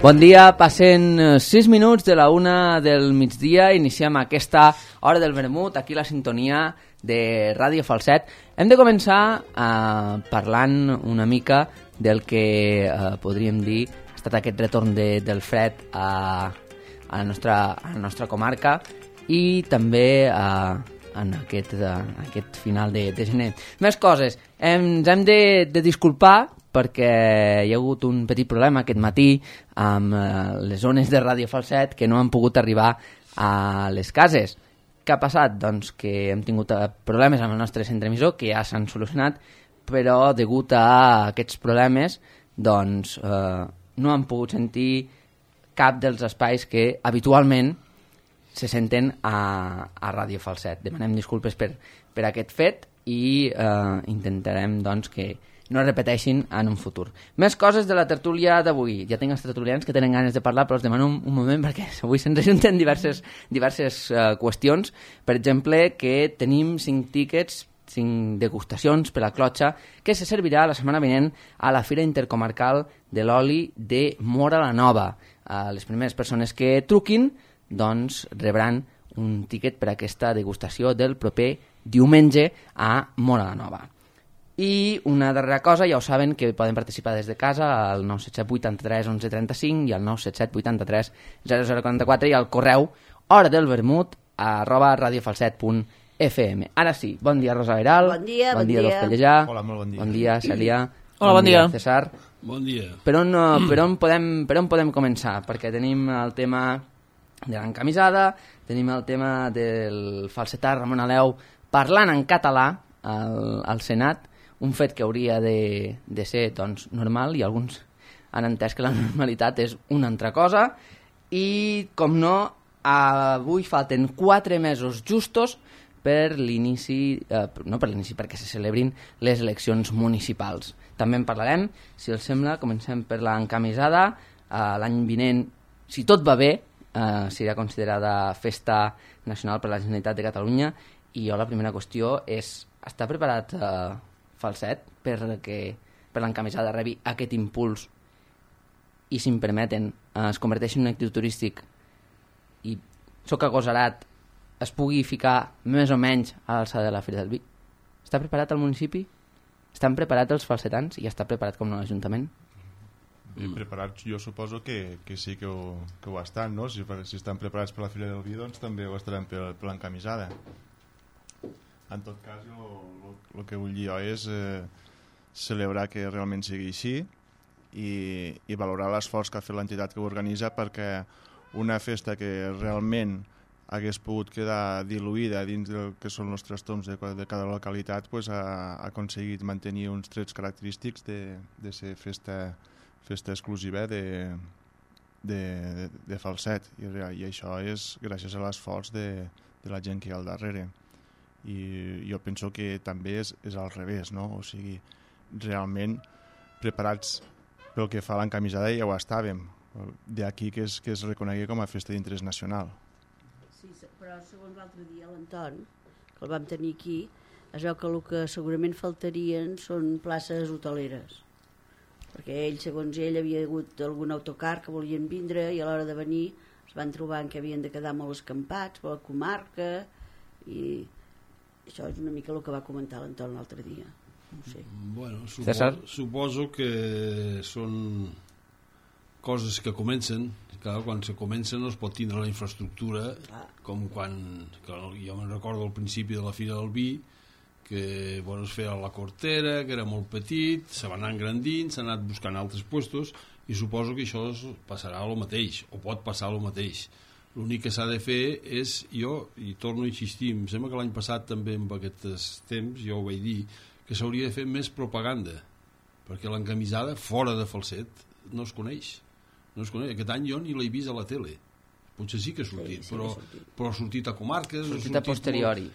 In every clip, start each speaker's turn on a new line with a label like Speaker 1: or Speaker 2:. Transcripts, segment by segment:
Speaker 1: Bon dia, passen 6 minuts de la 1 del migdia, iniciem aquesta hora del vermut, aquí la sintonia de Ràdio Falset. Hem de començar parlant una mica del que podríem dir ha estat aquest retorn del fred a la nostra comarca i també en aquest final de gener. Més coses, ens hem de disculpar perquè hi ha hagut un petit problema aquest matí amb les zones de Ràdio Falset que no han pogut arribar a les cases. Què ha passat? Doncs que hem tingut problemes amb el nostre centre emissor que ja s'han solucionat, però degut a aquests problemes doncs no han pogut sentir cap dels espais que habitualment se senten a Ràdio Falset. Demanem disculpes per aquest fet i intentarem doncs que no es repeteixin en un futur. Més coses de la tertúlia d'avui. Ja tinc els tertulians que tenen ganes de parlar, però els demano un moment perquè avui se'ns ajunten diverses qüestions. Per exemple, que tenim 5 tíquets, 5 degustacions per la clotxa, que se servirà la setmana vinent a la Fira Intercomarcal de l'Oli de Móra la Nova. Les primeres persones que truquin doncs rebran un tíquet per a aquesta degustació del proper diumenge a Móra la Nova. I una darrera cosa, ja ho saben que poden participar des de casa al 977 83 11 35 i al 977 83 0044 i al correu horadelvermut@radiofalset.fm. Ara sí, bon dia Rosa Veral.
Speaker 2: Bon dia.
Speaker 1: Dolç Pellejà.
Speaker 3: Hola, molt bon dia.
Speaker 1: Bon dia Cèlia.
Speaker 4: Hola, bon dia.
Speaker 1: César.
Speaker 4: Bon dia.
Speaker 1: Per on podem començar? Perquè tenim el tema de l'encamisada, tenim el tema del falsetà Ramon Aleu parlant en català al Senat, un fet que hauria de ser doncs, normal, i alguns han entès que la normalitat és una altra cosa. I, com no, avui falten 4 mesos justos per l'inici, no per l'inici, perquè se celebrin les eleccions municipals. També en parlarem, si els sembla, comencem per l'encamisada. L'any vinent, si tot va bé, serà considerada festa nacional per la Generalitat de Catalunya. I jo la primera qüestió és, està preparat Falset per l'encamisada rebi aquest impuls i, si em permeten, es converteixi en un actiu turístic i Soc Agosarat es pugui ficar més o menys a l'alçada de la Fira del Vi? Està preparat el municipi? Estan preparats els falsetans i està preparat com l'Ajuntament?
Speaker 3: Ben preparats, jo suposo que sí que ho estan, no? Si estan preparats per la Fira del Vi, doncs també ho estaran per l'encamisada. En tot cas, el que vull dir jo és celebrar que realment sigui així i valorar l'esforç que ha fet l'entitat que ho organitza, perquè una festa que realment hagués pogut quedar diluïda dins del que són els trastorns de cada localitat, pues ha aconseguit mantenir uns trets característics de ser festa exclusiva de Falset, i això és gràcies a l'esforç de la gent que hi ha al darrere. I jo penso que també és al revés, no? O sigui, realment preparats pel que fa a l'encamisada ja ho estàvem, d'aquí que es reconegui com a festa d'interès nacional.
Speaker 2: Sí, però segons l'altre dia l'Anton, que el vam tenir aquí, es veu que el que segurament faltarien són places hoteleres, perquè segons ell havia hagut algun autocar que volien vindre i a l'hora de venir es van trobar que havien de quedar molt escampats per la comarca, i això és una mica el que va comentar l'Anton l'altre dia. No sé.
Speaker 4: Bueno, suposo que són coses que comencen. Clar, quan se comencen no es pot tindre la infraestructura com quan jo me'n recordo al principi de la Fira del Vi, que es feia la cortera, que era molt petit, se va anar engrandint, s'ha anat buscant altres puestos, i suposo que això passarà el mateix, o pot passar el mateix. L'únic que s'ha de fer és, jo, i torno a insistir, em sembla que l'any passat també en aquests temps, jo ho vaig dir, que s'hauria de fer més propaganda, perquè l'encamisada fora de Falset no es coneix. Aquest any jo ni l'he vist a la tele. Potser sí que ha sortit, però ha sortit a comarques, ha sortit a
Speaker 1: posteriori.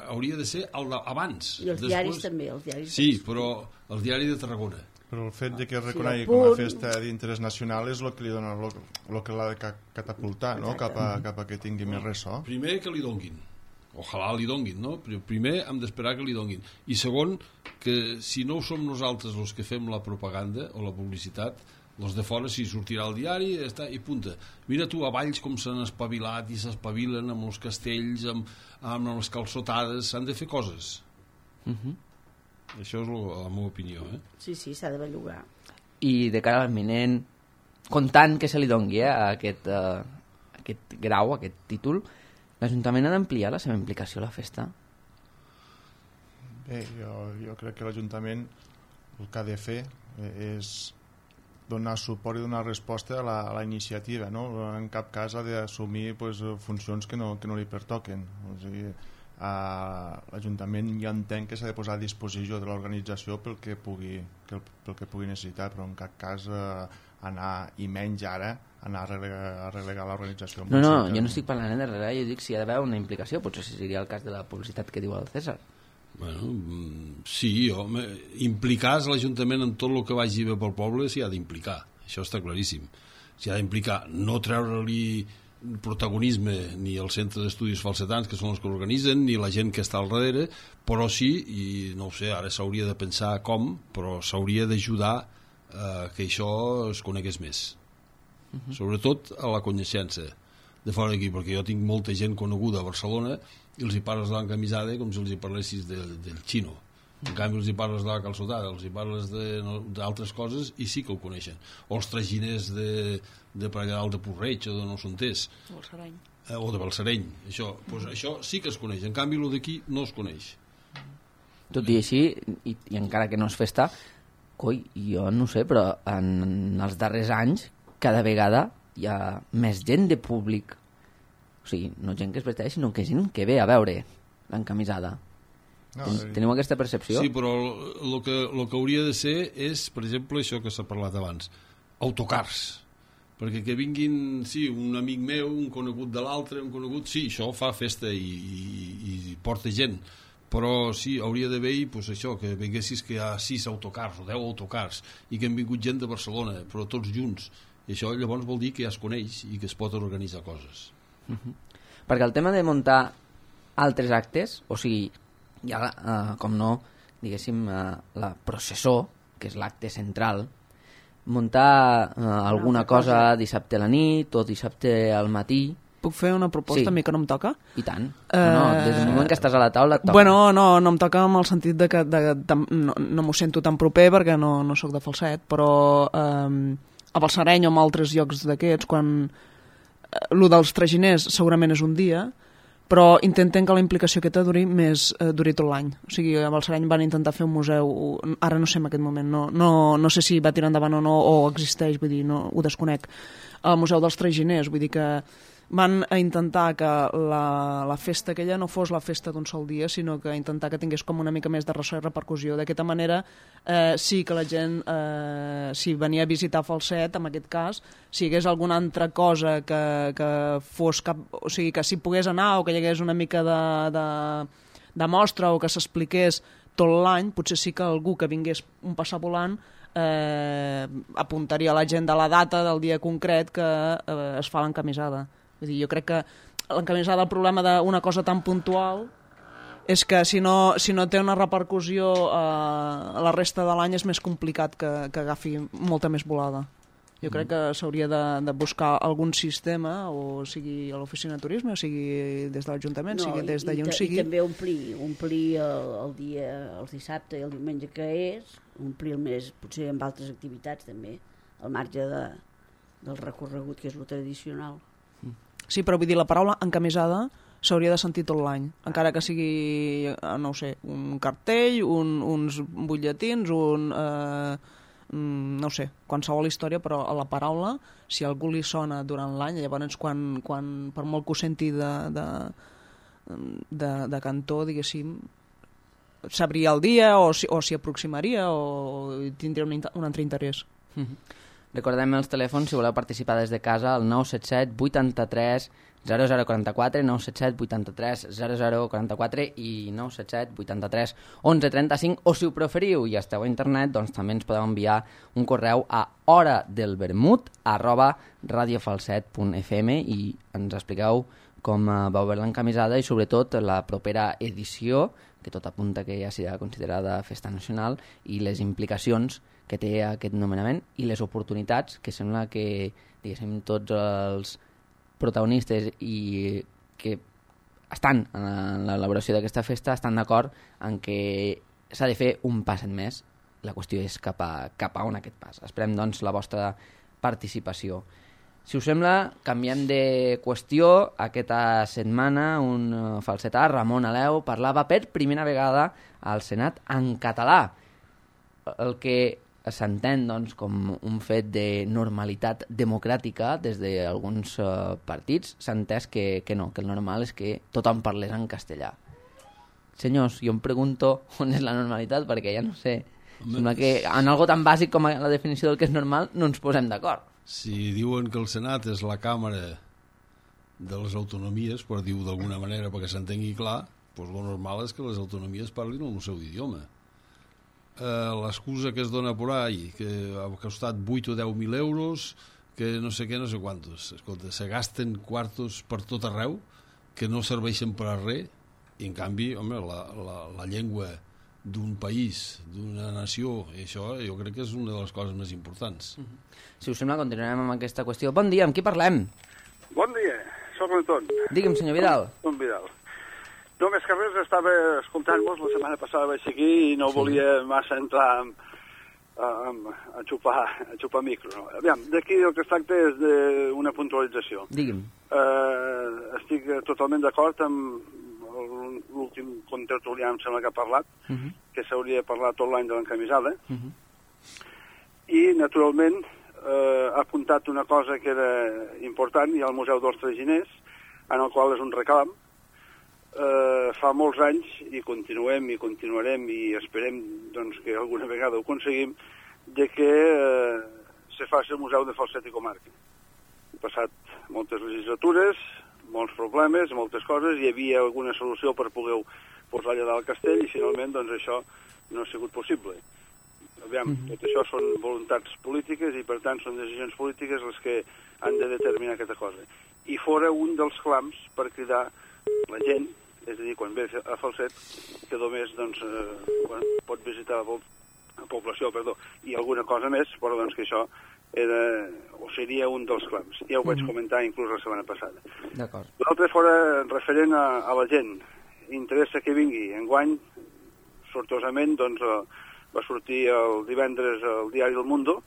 Speaker 4: Hauria de ser abans.
Speaker 2: I els diaris també.
Speaker 4: Sí, però el diari de Tarragona.
Speaker 3: Però el fet de que es reconegui com a festa d'interès nacional és el que li dona el que l'ha de catapultar, no? Cap a que tingui més ressò.
Speaker 4: Primer que li donguin. ojalà li donguin, no? Però primer hem d'esperar que li donguin. I segon, que si no som nosaltres els que fem la propaganda o la publicitat, els de fora si sortirà al diari i punta. Mira tu a Valls com s'han espavilat i s'espavilen amb els castells, amb les calçotades, s'han de fer coses. Això és la meva opinió.
Speaker 2: Sí, s'ha de bellugar.
Speaker 1: I de cara a l'eminent, comptant que se li dongui aquest grau, aquest títol, l'Ajuntament ha d'ampliar la seva implicació a la festa?
Speaker 3: Bé, jo crec que l'Ajuntament el que ha de fer és donar suport i donar resposta a la iniciativa, no? En cap cas ha d'assumir funcions que no li pertoquen. O sigui, l'Ajuntament ja entén que s'ha de posar a disposició de l'organització pel que pugui necessitar, però en cap cas anar, i menys ara, anar a relegar l'organització.
Speaker 1: No, jo no estic parlant de relegar, jo dic si hi ha d'haver una implicació, potser seria el cas de la publicitat que diu el César.
Speaker 4: Bueno, sí, home, implicar l'Ajuntament en tot el que vagi bé pel poble s'hi ha d'implicar, això està claríssim. S'hi ha d'implicar, no treure-li protagonisme ni el Centre d'Estudis Falsetans, que són els que l'organitzen, ni la gent que està al darrere, però sí, i no ho sé, ara s'hauria de pensar com, però s'hauria d'ajudar que això es conegués més. Sobretot a la coneixença de fora d'aquí, perquè jo tinc molta gent coneguda a Barcelona i els hi parles de l'encamisada com si els hi parlessis del xino. En canvi els hi parles de la calçotada, els hi parles d'altres coses i sí que ho coneixen. O els traginers de per allà dalt de Porreig o de no s'entès.
Speaker 5: O el Sereny.
Speaker 4: O de Balsareny. Això sí que es coneix. En canvi el d'aquí no es coneix.
Speaker 1: Tot i així, i encara que no es festa, jo no sé, però en els darrers anys cada vegada hi ha més gent de públic, o sigui, no gent que es vesteix, sinó que gent que ve a veure l'encamisada. Teniu aquesta percepció?
Speaker 4: Sí, però el que hauria de ser és, per exemple, això que s'ha parlat abans, autocars, perquè que vinguin, sí, un amic meu, un conegut de l'altre, un conegut, sí, això fa festa i porta gent, però sí, hauria d'haver això, que vinguessis que hi ha 6 autocars o 10 autocars i que han vingut gent de Barcelona, però tots junts. I això llavors vol dir que ja es coneix i que es pot organitzar coses.
Speaker 1: Perquè el tema de muntar altres actes, o sigui, ja, com no, diguéssim, la processó, que és l'acte central, muntar alguna cosa dissabte a la nit o dissabte al matí...
Speaker 5: Puc fer una proposta?
Speaker 1: Sí.
Speaker 5: A mi que no em toca?
Speaker 1: I tant. No, des del moment que estàs a la taula et toca.
Speaker 5: Bueno, no em toca en el sentit de que no m'ho sento tan proper perquè no sóc de Falset, però a Balsareny o en altres llocs d'aquests, quan el dels traginers segurament és un dia, però intenten que la implicació aquesta duri tot l'any. O sigui, a Balsareny van intentar fer un museu, ara no sé en aquest moment, no sé si va tirar endavant o no, o existeix, vull dir, no, ho desconec, al Museu dels Traginers, vull dir que van a intentar que la festa aquella no fos la festa d'un sol dia, sinó que intentar que tingués com una mica més de ressò i repercussió. D'aquesta manera sí que la gent, si venia a visitar Falset, en aquest cas, si hi hagués alguna altra cosa que fos o sigui, que si pogués anar o que hi hagués una mica de mostra o que s'expliqués tot l'any, potser sí que algú que vingués un passar volant apuntaria a la gent de la data del dia concret que es fa l'encamisada. Vull dir, jo crec que l'encamisada, el problema d'una cosa tan puntual és que si no té una repercussió a la resta de l'any és més complicat que agafi molta més volada. Jo crec que s'hauria de buscar algun sistema, o sigui a l'oficina de turisme, o sigui des de l'Ajuntament, sigui des d'allà on sigui.
Speaker 2: I també omplir el dia, el dissabte i el diumenge que és, omplir el mes potser amb altres activitats també, al marge del recorregut que és lo tradicional.
Speaker 5: Sí, però vull dir, la paraula encamisada s'hauria de sentir tot l'any, encara que sigui, no ho sé, un cartell, uns butlletins, no ho sé, qualsevol història, però a la paraula, si a algú li sona durant l'any, llavors quan per molt que ho senti de cantó, diguéssim, sabria el dia o s'hi aproximaria o tindria un altre interès.
Speaker 1: Recordem els telèfons si voleu participar des de casa al 977 83 0044, 977 83 0044 i 977 83 1135, o si ho preferiu i esteu a internet, doncs també ens podeu enviar un correu a horadelvermut@radiofalset.fm i ens expliqueu com va veure l'encamisada i sobretot la propera edició, que tot apunta que ja serà considerada festa nacional, i les implicacions que té aquest nomenament i les oportunitats que sembla que, diguéssim, tots els protagonistes i que estan en l'elaboració d'aquesta festa estan d'acord en que s'ha de fer un pas en més. La qüestió és cap a on aquest pas. Esperem, doncs, la vostra participació. Si us sembla, canviem de qüestió. Aquesta setmana un falsetà, Ramon Aleu, parlava per primera vegada al Senat en català, el que s'entén doncs, com un fet de normalitat democràtica des d'alguns partits. S'ha entès que no, que el normal és que tothom parlés en castellà. Senyors, jo em pregunto on és la normalitat, perquè ja no sé. Sembla que en algo tan bàsic com la definició del que és normal no ens posem d'acord.
Speaker 4: Si diuen que el Senat és la càmera de les autonomies, per dir-ho d'alguna manera perquè s'entengui clar, doncs el normal és que les autonomies parlin el seu idioma. L'excusa que es dona por ahí, que ha costat 8 o 10.000 euros, que no sé què, no sé quantos. Escolta, se gasten quartos per tot arreu que no serveixen per a res, i en canvi, home, la llengua d'un país, d'una nació, i això jo crec que és una de les coses més importants.
Speaker 1: Si us sembla, continuarem amb aquesta qüestió. Bon dia, amb qui parlem?
Speaker 6: Bon dia, soc l'Anton.
Speaker 1: Digue'm, senyor Vidal.
Speaker 6: Anton Vidal. No, més que res, estava escoltant-vos, la setmana passada vaig aquí i no volia massa entrar a xupar micro. No? Aviam, d'aquí el que es tracta és d'una puntualització.
Speaker 1: Digui'm.
Speaker 6: Estic totalment d'acord amb l'últim contertulià, em sembla que ha parlat, que s'hauria de parlar tot l'any de l'encamisada, i naturalment ha apuntat una cosa que era important, i al Museu dels Traginers, en el qual és un reclam. Fa molts anys, i continuem i continuarem, i esperem doncs, que alguna vegada ho aconseguim, de que se faci el Museu de Falset i Comarca. Han passat moltes legislatures, molts problemes, moltes coses, hi havia alguna solució per poder posar allà dalt el castell i finalment doncs això no ha sigut possible. Aviam, tot això són voluntats polítiques i per tant són decisions polítiques les que han de determinar aquesta cosa. I fora un dels clams per cridar la gent, és a dir, quan ve a Falset, que només doncs, pot visitar la població, i alguna cosa més, però doncs que això seria un dels clams. Ja ho vaig comentar inclús la setmana passada.
Speaker 1: D'acord.
Speaker 6: L'altre fora referent a la gent. Interessa que vingui. Enguany, sortosament, doncs, va sortir el divendres al diari El Mundo,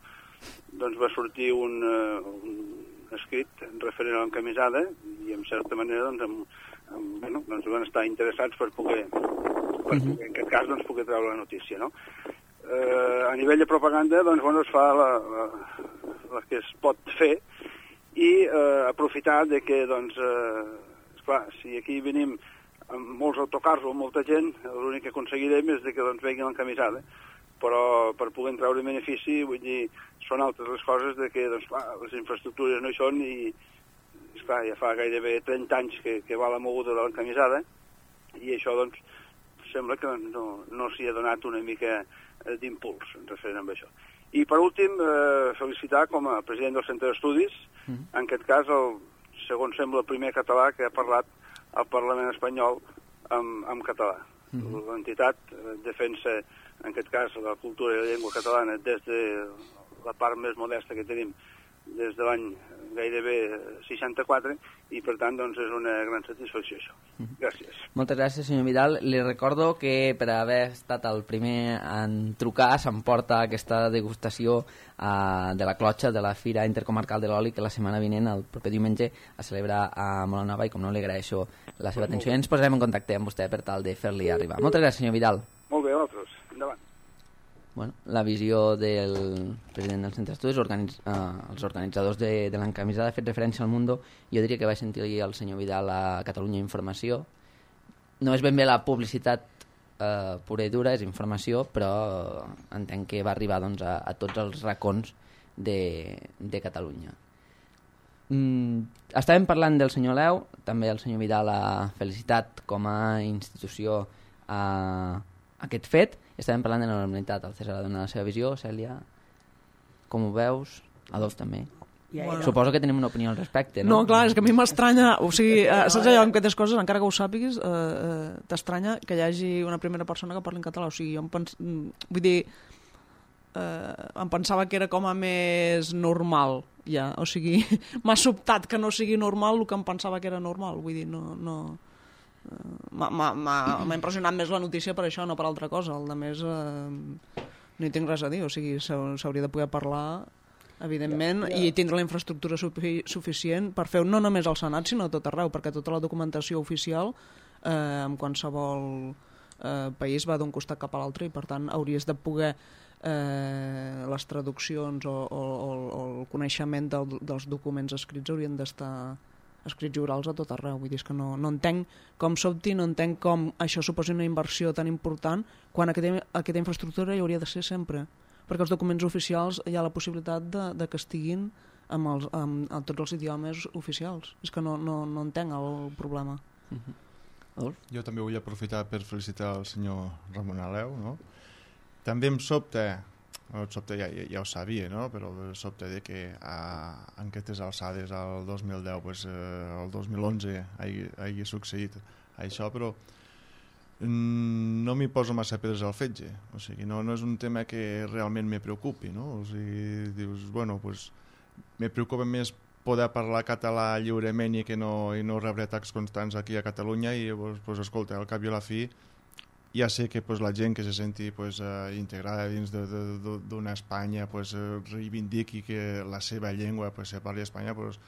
Speaker 6: doncs va sortir un escrit referent a l'encamisada i en certa manera doncs van estar interessats per poder en aquest cas doncs, poder treure la notícia, no? A nivell de propaganda doncs, es fa la que es pot fer i aprofitar de que doncs, esclar, si aquí venim amb molts autocars o amb molta gent, l'únic que aconseguirem és de que doncs, vegin l'encamisada, però per poder treure benefici, vull dir, són altres les coses de que doncs, les infraestructures no hi són i esclar, ja fa gairebé 30 anys que va la moguda de l'encamisada i això doncs sembla que no s'hi ha donat una mica d'impuls referent amb això. I per últim, felicitar com a president del Centre d'Estudis, en aquest cas segons sembla el primer català que ha parlat al Parlament espanyol en català. L'entitat defensa en aquest cas la cultura i la llengua catalana des de la part més modesta que tenim des de l'any gairebé 64 i per tant doncs, és una gran satisfacció això. Gràcies.
Speaker 1: Moltes gràcies, senyor Vidal. Li recordo que per haver estat el primer en trucar s'emporta aquesta degustació de la clotxa de la Fira Intercomarcal de l'Oli que la setmana vinent, el proper diumenge, es celebra a Molanova i com no li agraeixo la seva atenció i ens posarem en contacte amb vostè per tal de fer-li arribar. Moltes gràcies, senyor Vidal.
Speaker 6: Molt bé, vosaltres. Endavant.
Speaker 1: Bueno, la visió del president del Centre d'Estudis, els organitzadors de l'encamisada, ha fet referència al Mundo. Jo diria que vaig sentir el senyor Vidal a Catalunya Informació. No és ben bé la publicitat pura i dura, és informació, però entenc que va arribar doncs, a tots els racons de Catalunya. Estàvem parlant del senyor Leu, també el senyor Vidal ha felicitat com a institució aquest fet. Estàvem parlant de la normalitat, el César ha donat la seva visió. Cèlia, com ho veus? Adolf també.
Speaker 2: Bueno.
Speaker 1: Suposo que tenim una opinió al respecte,
Speaker 5: No,
Speaker 1: no?
Speaker 5: clar, és que a mi m'estranya, o sigui, saps allò en aquestes coses, encara que ho sàpigues, t'estranya que hi hagi una primera persona que parli en català, o sigui, jo vull dir, em pensava que era com a més normal, ja, o sigui, m'ha sobtat que no sigui normal el que em pensava que era normal, vull dir, no m'ha impressionat més la notícia per això, no per altra cosa, el de més no hi tinc res a dir, o sigui, s'hauria de poder parlar evidentment, i tindre la infraestructura suficient per fer no només al Senat, sinó a tot arreu, perquè tota la documentació oficial en qualsevol país va d'un costat cap a l'altre i per tant hauries de poder les traduccions o el coneixement dels documents escrits haurien d'estar escrits i orals a tot arreu. Vull dir, és que no entenc com sobti, no entenc com això suposi una inversió tan important quan aquesta infraestructura hi hauria de ser sempre, perquè els documents oficials hi ha la possibilitat de que estiguin amb tots els idiomes oficials. És que no entenc el problema.
Speaker 3: Jo també vull aprofitar per felicitar el senyor Ramon Aleu, no? També em sobta, ja ho sabia, no? Però em sobta de que en aquestes alçades, al 2010, pues, el 2011, hagi succeït això, però no m'hi poso massa pedres al fetge, o sigui, no és un tema que realment me preocupi, no? O sigui, dius, bueno, pues, me preocupa més poder parlar català lliurement i no rebre atacs constants aquí a Catalunya i, pues, escolta, al cap i a la fi ja sé que pues, la gent que se senti pues, integrada dins d'una Espanya pues, reivindiqui que la seva llengua pues, se parli a Espanya, pues,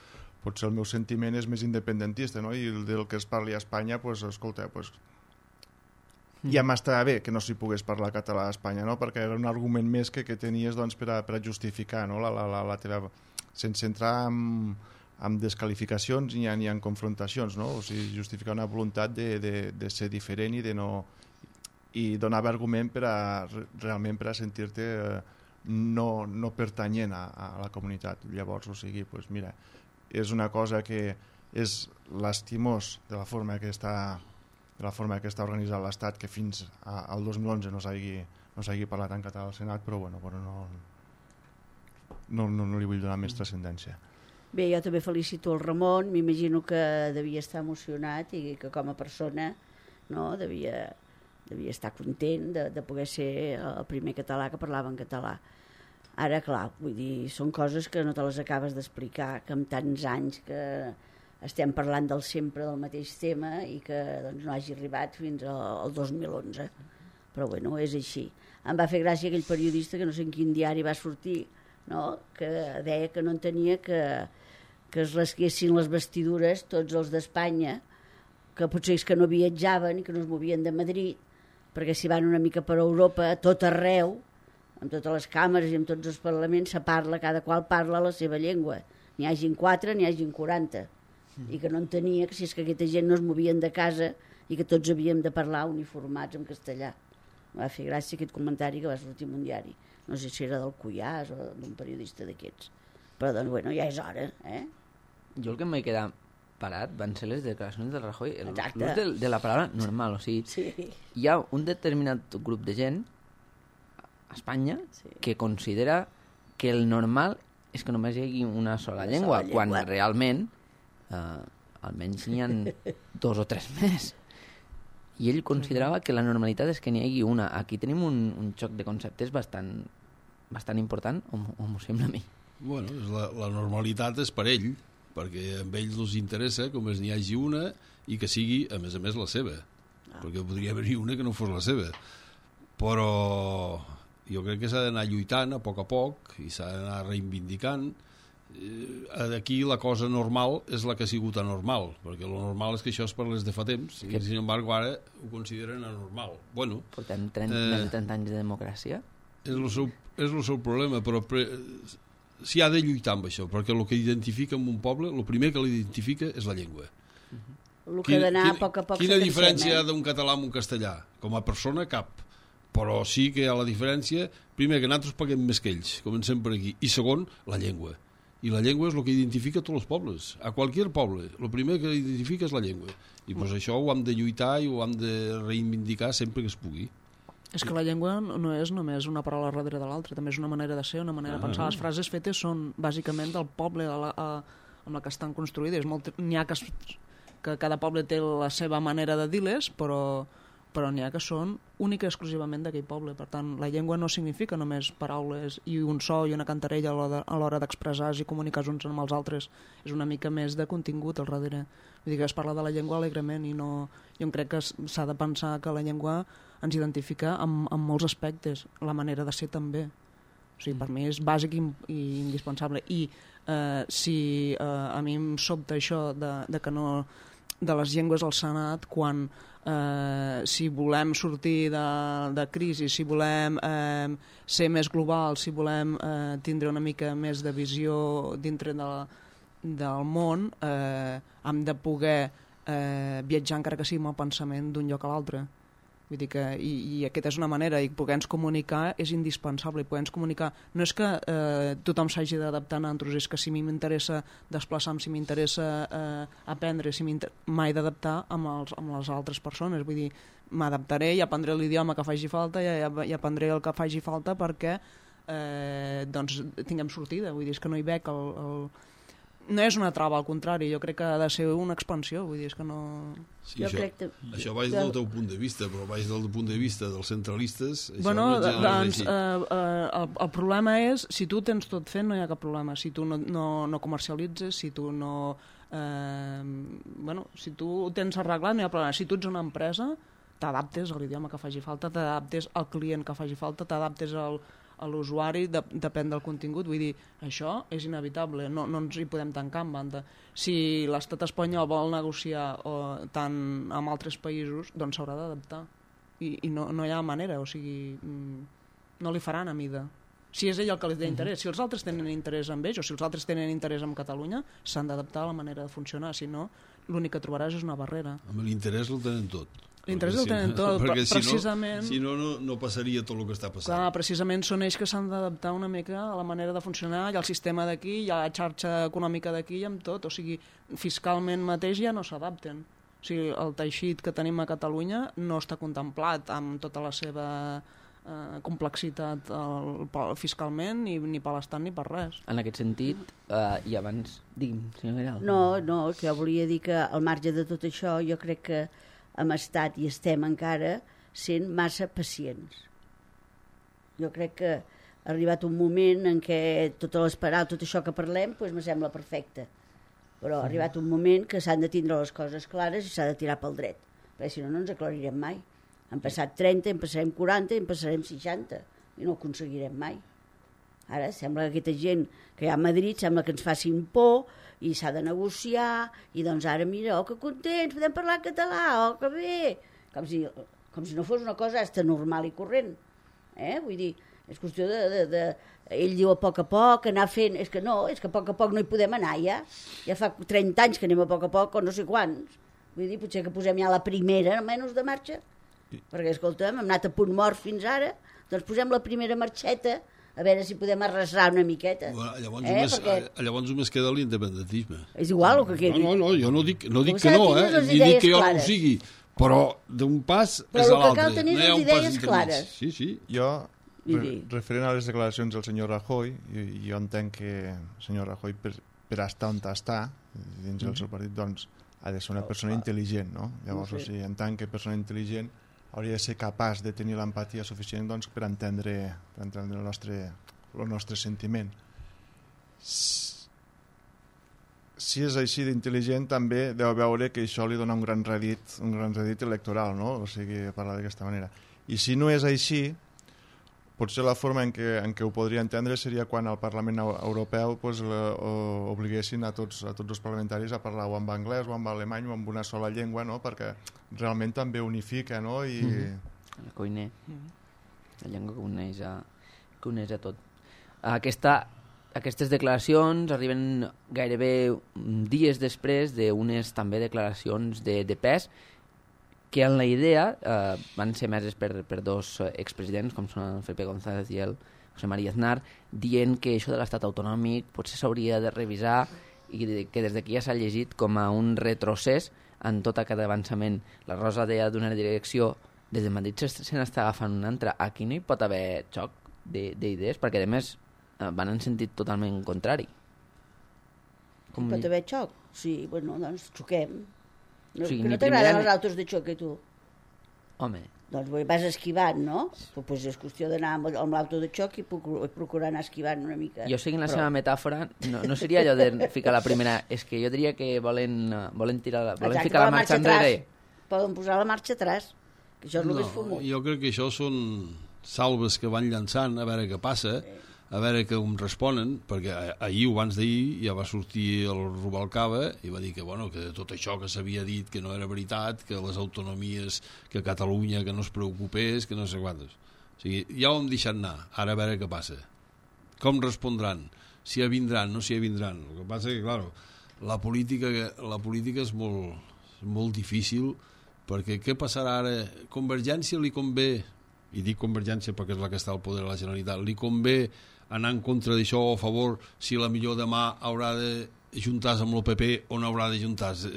Speaker 3: potser el meu sentiment és més independentista, no? I el del que es parli a Espanya, pues, escolta, pues, ja m'estava bé que no s'hi pogués parlar català a Espanya, no? Perquè era un argument més que tenies doncs, per a justificar, no? la teva... sense entrar en desqualificacions ni en confrontacions, no? O sigui, justificar una voluntat de ser diferent i donar argument realment per a sentir-te no pertanyent a la comunitat. Llavors, o sigui, pues mira, és una cosa que és lastimós de la forma que està organitzat l'Estat, que fins al 2011 no s'hagi parlat en català al Senat, però bueno, no li vull donar més transcendència.
Speaker 2: Bé, jo també felicito el Ramon, m'imagino que devia estar emocionat i que com a persona no, devia estar content de poder ser el primer català que parlava en català. Ara, clar, vull dir, són coses que no te les acabes d'explicar, que amb tants anys que estem parlant sempre del mateix tema i que doncs, no hagi arribat fins al 2011. Però bueno, és així. Em va fer gràcia aquell periodista que no sé en quin diari va sortir, no? Que deia que no entenia que es rasquessin les vestidures tots els d'Espanya, que potser és que no viatjaven i que no es movien de Madrid, perquè si van una mica per Europa, a tot arreu, amb totes les càmeres i amb tots els parlaments, cada qual parla la seva llengua. N'hi hagin 4, n'hi hagin 40. I que no entenia que si és que aquesta gent no es movien de casa i que tots havíem de parlar uniformats en castellà. Em va fer gràcia aquest comentari que va sortir en un diari. No sé si era del Cuyàs o d'un periodista d'aquests. Però, doncs, bueno, ja és hora, eh?
Speaker 1: Jo el que em vaig quedar parat van ser les declaracions del Rajoy,
Speaker 2: l'ús
Speaker 1: de la paraula normal, o sigui, sí. Hi ha un determinat grup de gent a Espanya que considera que el normal és que només hi hagi una sola llengua, quan realment almenys n'hi ha 2 o 3 més. I ell considerava que la normalitat és que n'hi hagi una. Aquí tenim un xoc de conceptes bastant important, o m'ho sembla a mi.
Speaker 4: Bueno, la normalitat és per ell, perquè a ells els interessa com n'hi hagi una i que sigui, a més, la seva. Perquè podria haver-hi una que no fos la seva. Però jo crec que s'ha d'anar lluitant a poc i s'ha d'anar reivindicant. Aquí la cosa normal és la que ha sigut anormal, perquè lo normal és que això es parlés de fa temps i sin embargo ara ho consideren anormal. Bueno,
Speaker 1: portem més de 30 anys de democràcia.
Speaker 4: És el seu problema, però s'hi ha de lluitar amb això, perquè el que identifica en un poble, el primer que l'identifica és la llengua.
Speaker 2: El que ha d'anar a poc
Speaker 4: quina diferència hi ha d'un català amb un castellà? Com a persona, cap. Però sí que hi ha la diferència, primer, que nosaltres paguem més que ells, comencem per aquí, i segon, la llengua. I la llengua és el que identifica tots els pobles. A qualsevol poble, el primer que identifica és la llengua. I pues això ho hem de lluitar i ho hem de reivindicar sempre que es pugui.
Speaker 5: És que la llengua no és només una paraula darrere de l'altra, també és una manera de ser, una manera de pensar. Les frases fetes són bàsicament del poble amb la que estan construïdes. N'hi ha que cada poble té la seva manera de dir-les, però n'hi ha que són única i exclusivament d'aquell poble. Per tant, la llengua no significa només paraules i un so i una cantarella a l'hora d'expressar-se i comunicar uns amb els altres. És una mica més de contingut al darrere. Vull dir que es parla de la llengua alegrement i no... Jo crec que s'ha de pensar que la llengua ens identifica en molts aspectes, la manera de ser també. O sigui, per mi és bàsic i indispensable. I si a mi em sobta això de que no... de les llengües al Senat, quan si volem sortir de crisi, si volem ser més global, si volem tindre una mica més de visió dintre del món, hem de poder viatjar encara que sigui amb el pensament d'un lloc a l'altre. Vull dir que, i aquesta és una manera, i poder-nos comunicar és indispensable, i poder-nos comunicar no és que tothom s'hagi d'adaptar a nosaltres, és que si a mi m'interessa desplaçar-me, si m'interessa aprendre, m'he d'adaptar amb les altres persones, vull dir, m'adaptaré i aprendré l'idioma que faci falta i aprendré el que faci falta perquè doncs tinguem sortida, vull dir, és que no hi veig no és una trava, al contrari, jo crec que ha de ser una expansió, vull dir, és que no...
Speaker 4: Sí, això vaig del teu punt de vista, però vaig del punt de vista dels centralistes...
Speaker 5: Bueno, doncs, el problema és, si tu tens tot fet, no hi ha cap problema. Si tu no comercialitzes, si tu no... si tu ho tens arreglat, no hi ha problema. Si tu ets una empresa, t'adaptes a l'idioma que faci falta, t'adaptes al client que faci falta, t'adaptes a l'usuari, depèn del contingut. Vull dir, això és inevitable, no ens hi podem tancar en banda. Si l'estat espanyol vol negociar tant amb altres països, doncs s'haurà d'adaptar. I no hi ha manera, o sigui, no li faran a mida. Si és ell el que li té interès. Si els altres tenen interès en ells, o si els altres tenen interès en Catalunya, s'han d'adaptar a la manera de funcionar, si no, l'únic que trobaràs és una barrera.
Speaker 4: Amb l'interès el tenen tot.
Speaker 5: L'interès el tenen tot, precisament...
Speaker 4: Si no passaria tot el que està passant.
Speaker 5: Clar, precisament són ells que s'han d'adaptar una mica a la manera de funcionar, i al sistema d'aquí, i a la xarxa econòmica d'aquí, i amb tot. O sigui, fiscalment mateix ja no s'adapten. O sigui, el teixit que tenim a Catalunya no està contemplat amb tota la seva complexitat fiscalment, ni per l'Estat ni per res.
Speaker 1: En aquest sentit, i abans... Digui'm, senyor Vidal.
Speaker 2: No, que jo volia dir que al marge de tot això, jo crec que hem estat i estem encara sent massa pacients. Jo crec que ha arribat un moment en què totes les paraules, tot això que parlem, doncs me sembla perfecte. Però ha arribat un moment que s'han de tindre les coses clares i s'ha de tirar pel dret, perquè si no, no ens aclarirem mai. Han passat 30, en passarem 40, en passarem 60, i no ho aconseguirem mai. Ara sembla que aquesta gent que hi ha a Madrid sembla que ens facin por i s'ha de negociar, i doncs ara mira, que contents, podem parlar en català, que bé, com si no fos una cosa hasta normal i corrent. Vull dir, és qüestió de ell diu a poc, anar fent, és que a poc no hi podem anar ja fa 30 anys que anem a poc, o no sé quants. Vull dir, potser que posem ja la primera, almenys de marxa, perquè, escolta'm, hem anat a punt mort fins ara, doncs posem la primera marxeta, a veure si podem arrasar una miqueta.
Speaker 4: Llavors només queda l'independentisme.
Speaker 2: És igual el que quedi.
Speaker 4: No, jo no dic que no, ni dic que jo no ho sigui, però d'un pas és a l'altre.
Speaker 2: Però el que cal tenir les idees clares.
Speaker 4: Sí.
Speaker 3: Jo, referent a les declaracions del senyor Rajoy, jo entenc que el senyor Rajoy, per estar on està, dins del seu partit, doncs, ha de ser una persona intel·ligent, no? Llavors, o sigui, entenc que persona intel·ligent hauria de ser capaç de tenir l'empatia suficient, doncs, per entendre el nostre sentiment. Si és així d'intel·ligent, també deu veure que això li dona un gran rèdit electoral, no? O sigui, parlar d'aquesta manera. I si no és així, potser la forma en què ho podria entendre seria quan al Parlament Europeu obliguessin a tots els parlamentaris a parlar o en anglès o en alemany o en una sola llengua, no? Perquè realment també unifica, no?
Speaker 1: El cuiner, la llengua que uneix a tot. Aquestes declaracions arriben gairebé dies després d'unes també declaracions de pes que en la idea van ser emeses per dos expresidents, com són el Felipe González i el José María Aznar, dient que això de l'estat autonòmic potser s'hauria de revisar i que des d'aquí ja s'ha llegit com a un retrocés en tot aquest avançament. La Rosa deia d'una direcció des de Madrid se n'està agafant una altra. Aquí no hi pot haver xoc d'idees, perquè a més van en sentit totalment contrari.
Speaker 2: Pot haver xoc? Sí, bueno, doncs xoquem. No,
Speaker 1: Sí,
Speaker 2: que
Speaker 1: ni
Speaker 2: no t'agraden
Speaker 1: primera
Speaker 2: els autos de xoc, tu?
Speaker 1: Home,
Speaker 2: Doncs vas esquivant, no? Pues és qüestió d'anar amb l'auto de xoc i procurar anar esquivant una mica.
Speaker 1: jo seguint la seva metàfora, no seria allò de ficar la primera, és que jo diria que volen
Speaker 2: Exacte,
Speaker 1: ficar la marxa enrere.
Speaker 2: Poden posar la marxa atràs, que això és el més fumut.
Speaker 4: Jo crec que això són salves que van llançant a veure què passa, a veure com responen, perquè ahir o abans d'ahir ja va sortir el Rubalcaba i va dir que, bueno, que tot això que s'havia dit que no era veritat, que les autonomies, que Catalunya, que no es preocupés, que no sé quantes. O sigui, ja ho hem deixat anar, ara a veure què passa. Com respondran? Si vindran, no si vindran. El que passa que, clar, la política és molt difícil, perquè què passarà ara? Convergència li convé, i dic Convergència perquè és la que està al poder de la Generalitat, li convé anar en contra d'això o a favor si la millor demà haurà de juntar-se amb el PP o no haurà de juntar-se.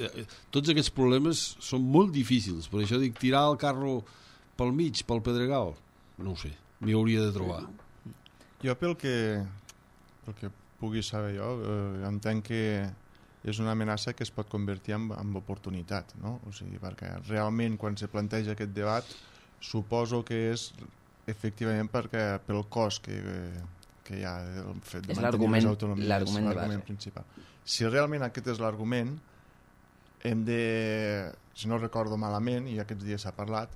Speaker 4: Tots aquests problemes són molt difícils, per això dic tirar el carro pel mig, pel Pedregal, no ho sé, m'hi hauria de trobar.
Speaker 3: Jo pel que pugui saber jo, entenc que és una amenaça que es pot convertir en oportunitat, no? O sigui, perquè realment quan se planteja aquest debat suposo que és efectivament pel cost que hi ha el fet de mantenir les autonomies, l'argument principal. Si realment aquest és l'argument, hem de, si no recordo malament, i aquests dies s'ha parlat,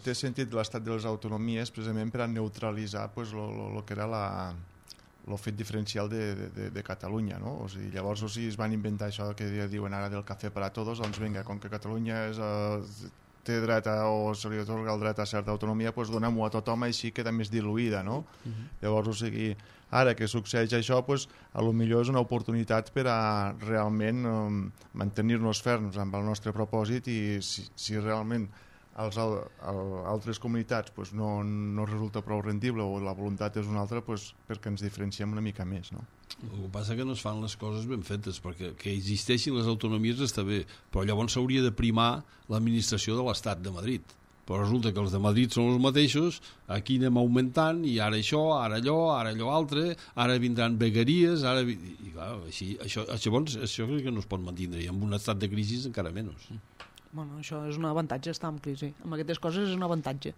Speaker 3: té sentit l'estat de les autonomies precisament per a neutralitzar el que era el fet diferencial de Catalunya, no? O sigui, llavors es van inventar això que diuen ara del cafè per a tots, doncs vinga, com que Catalunya té dret o se li atorga el dret a certa autonomia, doncs donem-ho a tothom, així queda més diluïda, no? Llavors, o sigui, ara que succeeix això, doncs, a lo millor és una oportunitat per a realment mantenir-nos ferms amb el nostre propòsit i si realment altres comunitats doncs, no resulta prou rendible o la voluntat és una altra, doncs, perquè ens diferenciem una mica més, no?
Speaker 4: El que passa que no es fan les coses ben fetes, perquè que existeixin les autonomies està bé, però llavors s'hauria de primar l'administració de l'Estat de Madrid. Però resulta que els de Madrid són els mateixos, aquí anem augmentant, i ara això, ara allò altre, ara vindran vegueries, i clar, així, això crec que no es pot mantenir, i amb un estat de crisi encara menys.
Speaker 5: Bueno, això és un avantatge, estar en crisi. Amb aquestes coses és un avantatge,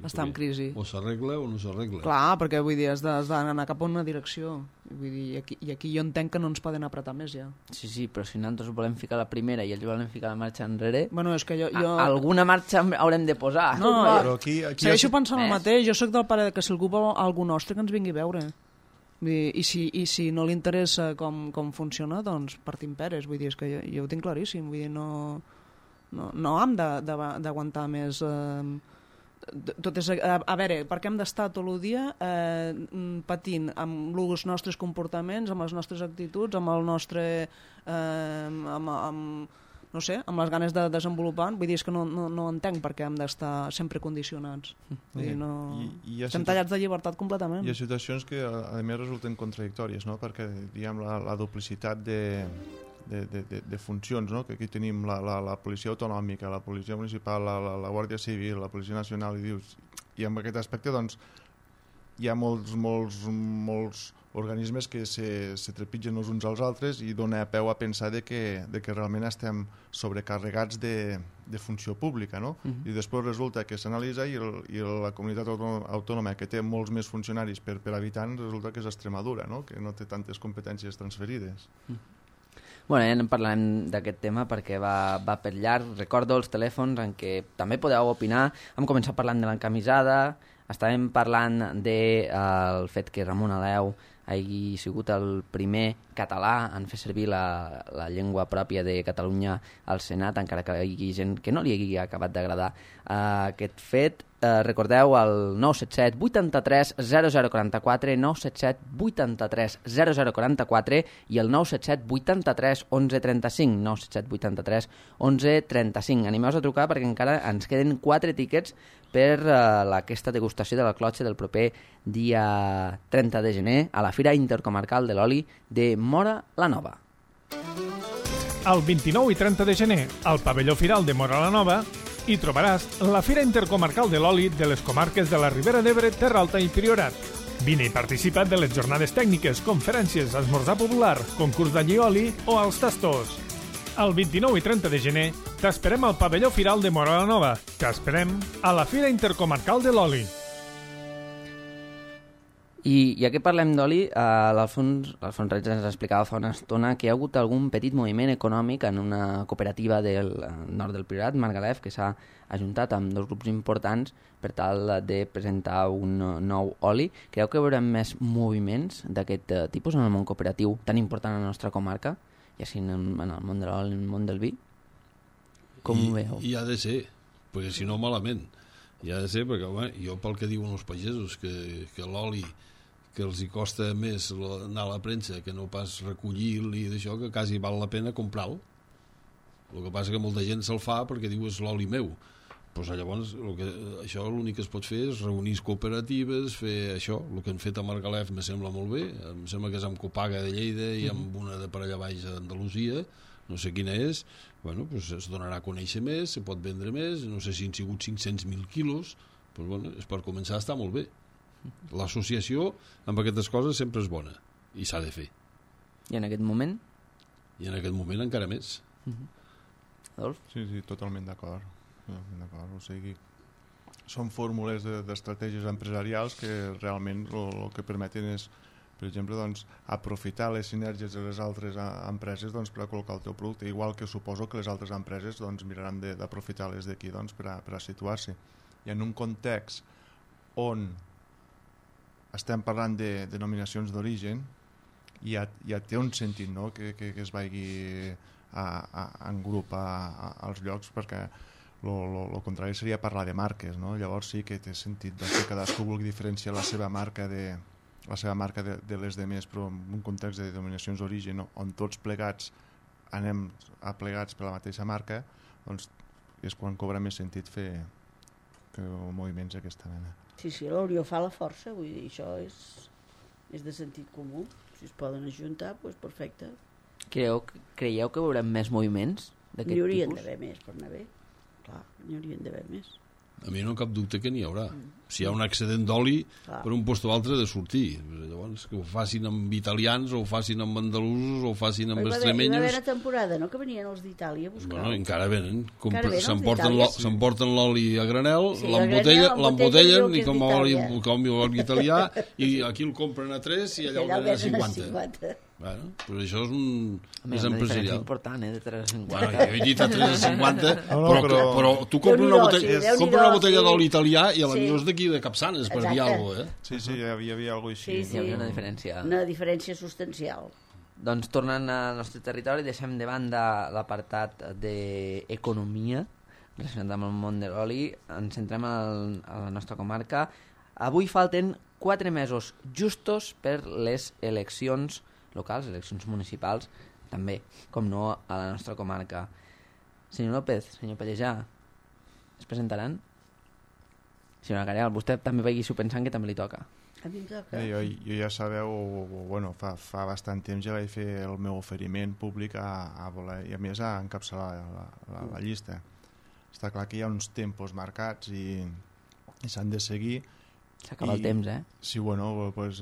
Speaker 5: estar en crisi.
Speaker 4: O s'arregla o no s'arregla.
Speaker 5: Clar, perquè vull dir, has d'anar cap a una direcció. Vull dir, i aquí jo entenc que no ens poden apretar més, ja.
Speaker 1: Sí, però si nosaltres volem ficar la primera i ells volen ficar la marxa enrere,
Speaker 5: Bueno, és que jo...
Speaker 1: alguna marxa haurem de posar.
Speaker 5: No,
Speaker 3: però aquí
Speaker 5: segueixo pensant el mateix. Jo sóc del pare que si algú vol algú nostre que ens vingui a veure. Vull dir, i si no li interessa com funciona, doncs partim peres. Vull dir, és que jo ho tinc claríssim. Vull dir, no hem d'aguantar més tot és, a veure, per què hem d'estar tot el dia patint amb els nostres comportaments, amb les nostres actituds, amb el nostre no sé, amb les ganes de desenvolupar. Vull dir, és que no entenc per què hem d'estar sempre condicionats. Vull dir, estem tallats de llibertat completament.
Speaker 3: Hi ha situacions que a més resulten contradictòries, no? Perquè diguem, la duplicitat de funcions, no? Que aquí tenim la policia autonòmica, la policia municipal, la Guàrdia Civil, la policia nacional, i en aquest aspecte doncs, hi ha molts organismes que se trepitgen els uns als altres i dona peu a pensar de que realment estem sobrecarregats de funció pública, no? I després resulta que s'analitza i la comunitat autònoma que té molts més funcionaris per habitant resulta que és Extremadura, no? Que no té tantes competències transferides.
Speaker 1: Bueno, ja en parlarem d'aquest tema perquè va per llarg. Recordo els telèfons en què també podeu opinar. Hem començat parlant de l'encamisada, estàvem parlant del fet que Ramon Aleu hagi sigut el primer català en fer servir la llengua pròpia de Catalunya al Senat, encara que hi hagi gent que no li hagi acabat d'agradar aquest fet. Recordeu el 977 83 0044, 977 83 0044 i el 977 83 1135, 977 83 1135. Animeu-vos a trucar perquè encara ens queden 4 tiquets per aquesta degustació de la clotxa del proper dia 30 de gener a la Fira Intercomarcal de l'Oli de Móra la Nova.
Speaker 7: El 29 i 30 de gener, al pavelló Firal de Móra la Nova, Hi trobaràs la Fira Intercomarcal de l'Oli de les comarques de la Ribera d'Ebre, Terra Alta i Priorat. Vine i participa de les jornades tècniques, conferències, esmorzar popular, concurs d'allioli o als tastos. El 29 i 30 de gener t'esperem al pavelló Firal de Móra la Nova. T'esperem a la Fira Intercomarcal de l'Oli.
Speaker 1: I ja que parlem d'oli, l'Alfons Reig ens explicava fa una estona que hi ha hagut algun petit moviment econòmic en una cooperativa del nord del Priorat, Margalef, que s'ha ajuntat amb dos grups importants per tal de presentar un nou oli. Creu que veurem més moviments d'aquest tipus en el món cooperatiu tan important a la nostra comarca, ja sigui en el món de l'oli, en el món del vi? Com ho veu?
Speaker 4: I ha de ser, perquè si no malament. I ha de ser perquè, home, jo pel que diuen els pagesos, que l'oli que els hi costa més anar a la premsa que no pas recollir-lo i d'això, que quasi val la pena comprar-lo. El que passa que molta gent se'l fa perquè diu és l'oli meu. Pues llavors això l'únic que es pot fer és reunir cooperatives, fer això, el que han fet a Margalef me sembla molt bé, em sembla que és amb Copaga de Lleida i amb una de per allà baix d'Andalusia, no sé quina és, bueno, pues es donarà a conèixer més, se pot vendre més, no sé si han sigut 500.000 quilos, pues bueno, és per començar a estar molt bé. L'associació amb aquestes coses sempre és bona i s'ha de fer.
Speaker 1: I en aquest moment?
Speaker 4: I en aquest moment encara més.
Speaker 1: Adolf?
Speaker 3: Sí, totalment d'acord. O sigui, són fórmules d'estratègies empresarials que realment el que permeten és, per exemple, doncs, aprofitar les sinergies de les altres empreses doncs, per a col·locar el teu producte, igual que suposo que les altres empreses doncs, miraran d'aprofitar les d'aquí doncs, per a situar-se. I en un context on estem parlant de denominacions d'origen, ja té un sentit, no? que es vagi en grup als llocs, perquè el contrari seria parlar de marques, no? Llavors sí que té sentit que cadascú vulgui diferenciar la seva marca de les demés, però en un context de denominacions d'origen on tots plegats anem aplegats per la mateixa marca, doncs és quan cobra més sentit fer moviments d'aquesta mena.
Speaker 2: Sí, la unió fa la força, vull dir, això és de sentit comú. Si es poden ajuntar, doncs perfecte.
Speaker 1: Creieu que veurem més moviments d'aquest tipus?
Speaker 2: N'hi haurien d'haver més per anar bé. Clar, n'hi haurien d'haver més.
Speaker 4: A mi no cap dubte que n'hi haurà. Si hi ha un excedent d'oli, per un lloc o altre ha de sortir. Llavors, que ho facin amb italians, o ho facin amb andalusos, o ho facin amb extremenyos...
Speaker 2: Hi va haver una temporada, no?, que venien els d'Itàlia a buscar.
Speaker 4: Bueno, encara venen.
Speaker 2: S'emporten
Speaker 4: l'oli a granel, l'embotellen i com a oli italià, i aquí el compren a 3 i allà el venen a 50. Bueno, però això és més empresarial.
Speaker 1: És important, de 3 a 50.
Speaker 4: Bueno, jo he dit a 3 a 50, però tu compres una botella d'oli italià i a la millor és d'aquí de Capçanes, per dir alguna cosa,
Speaker 3: Sí, hi havia alguna cosa així.
Speaker 1: Hi havia una diferència.
Speaker 2: Una diferència substancial.
Speaker 1: Doncs tornant al nostre territori, deixem de banda l'apartat d'economia relacionat amb el món de l'oli, ens centrem a la nostra comarca. Avui falten 4 mesos justos per les eleccions locals, eleccions municipals, també, com no, a la nostra comarca. Senyor López, senyor Pallejà, es presentaran? Senyora Careal, vostè també vegi-s'ho pensant que també li toca.
Speaker 2: A mi em toca.
Speaker 3: Jo ja sabeu, bueno, fa bastant temps ja vaig fer el meu oferiment públic a voler, i a més a encapçalar la llista. Està clar que hi ha uns tempos marcats i s'han de seguir.
Speaker 1: S'acaba el temps,
Speaker 3: Sí, bueno, doncs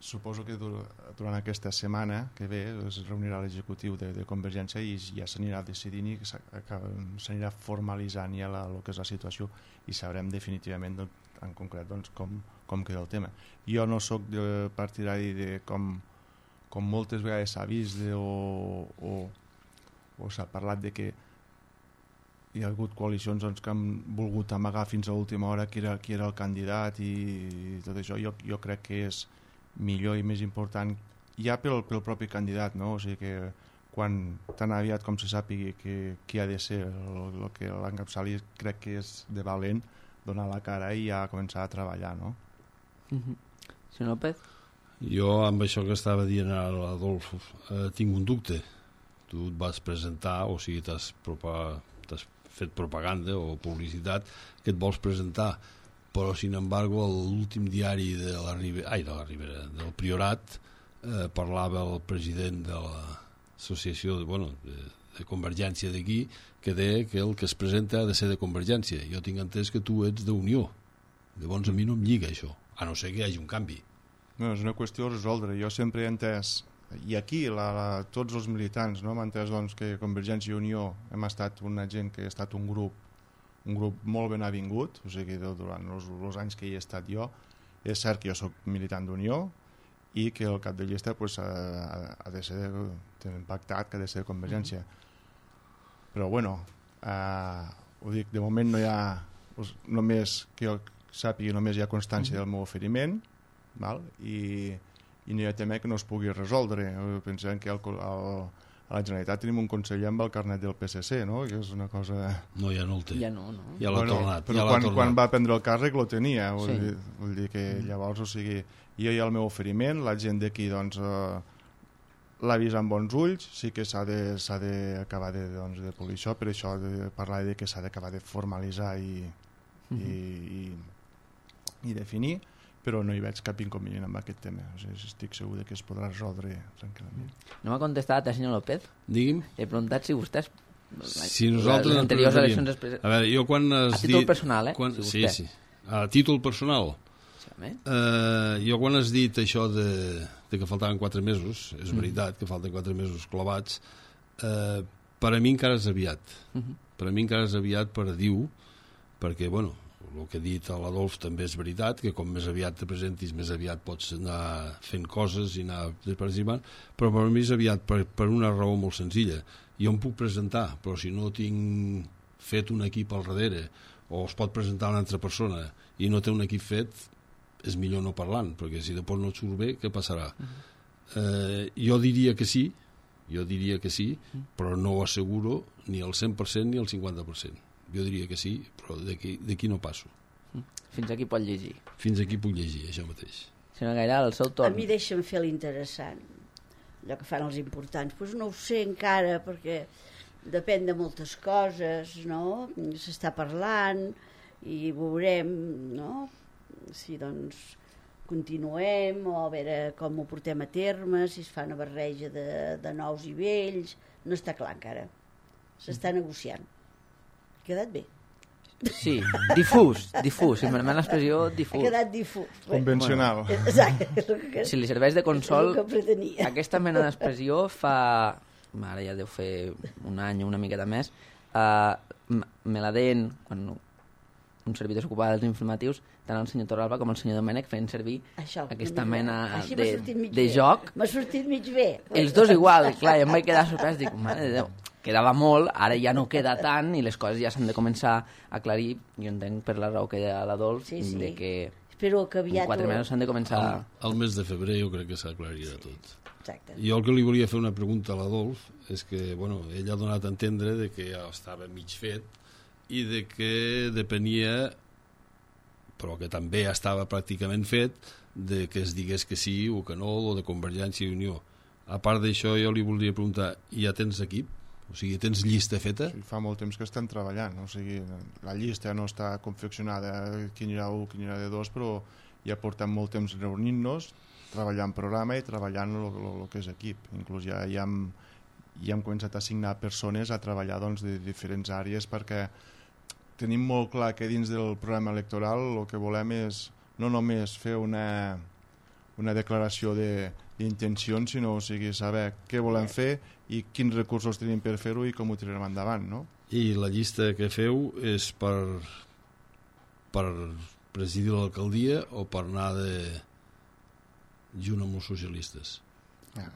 Speaker 3: suposo que durant aquesta setmana que ve es reunirà l'executiu de Convergència i ja s'anirà decidint i s'anirà formalitzant ja el que és la situació i sabrem definitivament en concret doncs, com queda el tema. Jo no sóc partidari de com moltes vegades s'ha vist o s'ha parlat de que hi ha hagut coalicions doncs, que han volgut amagar fins a l'última hora qui era el candidat i tot això. Jo crec que és millor i més important ja pel propi candidat, no? O sigui que quan tan aviat com se sàpigui qui ha de ser el que l'encapçali, crec que és de valent donar la cara i ja començar a treballar, no?
Speaker 1: Senyor López?
Speaker 4: Jo amb això que estava dient a l'Adolf tinc un dubte. Tu et vas presentar, o sigui t'has fet propaganda o publicitat que et vols presentar, però sin embargo l'últim diari del Priorat parlava el president de l'associació Convergència d'aquí, que deia que el que es presenta ha de ser de Convergència. Jo tinc entès que tu ets d'Unió. Llavors a mi no em lliga això, a no ser que hi hagi un canvi.
Speaker 3: No, és una qüestió de resoldre. Jo sempre he entès, i aquí tots els militants, no, m'han entès doncs, que Convergència i Unió hem estat una gent que ha estat un grup molt ben avingut, o sigui, durant els anys que hi he estat jo. És cert que jo soc militant d'Unió i que el cap de llista pues, ha de ser, tenen pactat que ha de ser de Convergència. Però bueno, ho dic, de moment no hi ha, només que jo sàpiga, només hi ha constància del meu oferiment, val? I no hi ha tema que no es pugui resoldre. Pensem que a la Generalitat tenim un conseller amb el carnet del PSC, no? Que és una cosa...
Speaker 4: No, ja no el té.
Speaker 1: Ja no.
Speaker 4: Ja l'ha tornat.
Speaker 3: Però quan va prendre el càrrec lo tenia. Vull dir que llavors, o sigui, jo hi ha el meu oferiment, la gent d'aquí doncs, l'ha vist amb bons ulls, sí que s'ha d'acabar de polir això, per això de parlar de que s'ha d'acabar de formalitzar i definir, però no hi veig cap inconvenient amb aquest tema. O sigui, estic segur que es podrà resoldre tranquil·lament.
Speaker 1: No m'ha contestat, senyor López?
Speaker 4: Digui'm.
Speaker 1: He preguntat si vostès...
Speaker 4: Si nosaltres...
Speaker 1: Les anteriors eleccions...
Speaker 4: A veure, jo quan has dit...
Speaker 1: A títol personal,
Speaker 4: Sí. A títol personal. Jo quan has dit això de que faltaven 4 mesos, és veritat que falten 4 mesos clavats, per a mi encara és aviat. Per a mi encara és aviat per dir-ho, perquè, bueno, el que ha dit l'Adolf també és veritat, que com més aviat te presentis, més aviat pots anar fent coses i anar participant, però per mi és aviat per una raó molt senzilla. Jo em puc presentar, però si no tinc fet un equip al darrere, o es pot presentar una altra persona i no té un equip fet, és millor no parlant, perquè si després no et surt bé, què passarà? Jo diria que sí, però no ho asseguro ni el 100% ni el 50%. Jo diria que sí, però d'aquí no passo.
Speaker 1: Fins aquí pot llegir.
Speaker 4: Fins aquí puc llegir, això mateix.
Speaker 1: Senyor Gairal, el seu torn.
Speaker 2: A mi deixa'm fer l'interessant, allò que fan els importants. Doncs no ho sé encara, perquè depèn de moltes coses, no? S'està parlant i veurem, no? Si doncs continuem o a veure com ho portem a terme, si es fa una barreja de nous i vells, no està clar encara. S'està negociant. Ha quedat bé?
Speaker 1: Sí, difús, si em permet l'expressió, difús.
Speaker 2: Ha quedat difús.
Speaker 3: Convencional.
Speaker 2: Bueno, exacte.
Speaker 1: Si li serveix de consol,
Speaker 2: que
Speaker 1: aquesta mena d'expressió fa... Ara ja deu fer un any o una miqueta més. Me la deien, quan un servidor s'ocupava dels informatius, tant el senyor Torralba com el senyor Domènec feien servir aquesta mena de joc.
Speaker 2: M'ha sortit mig bé.
Speaker 1: Els dos igual, clar, i em vaig quedar sorprès, dic, mare de Déu, quedava molt, ara ja no queda tant i les coses ja s'han de començar a aclarir. Jo entenc per la raó que hi ha l'Adolf, de que
Speaker 2: espero que aviat
Speaker 1: 4 mesos s'han de començar...
Speaker 4: Al mes de febrer jo crec que s'aclarirà tot.
Speaker 2: Exacte.
Speaker 4: Jo el que li volia fer una pregunta a l'Adolf és que, bueno, ell ha donat a entendre de que ja estava mig fet i de que depenia, però que també estava pràcticament fet, de que es digués que sí o que no, o de Convergència i Unió. A part d'això, jo li volia preguntar, ja tens equip? O sigui, tens llista feta?
Speaker 3: Sí, fa molt temps que estan treballant, o sigui, la llista no està confeccionada, quin era 1, quin era de 2, però ja portem molt temps reunint-nos, treballant programa i treballant el que és equip. Inclús ja hem començat a assignar persones a treballar doncs, de diferents àrees, perquè tenim molt clar que dins del programa electoral el que volem és no només fer una declaració d'intencions, sinó saber què volem fer i quins recursos tenim per fer-ho i com ho tirarem endavant, no?
Speaker 4: I la llista que feu és per presidir l'alcaldia o per anar junt amb els socialistes?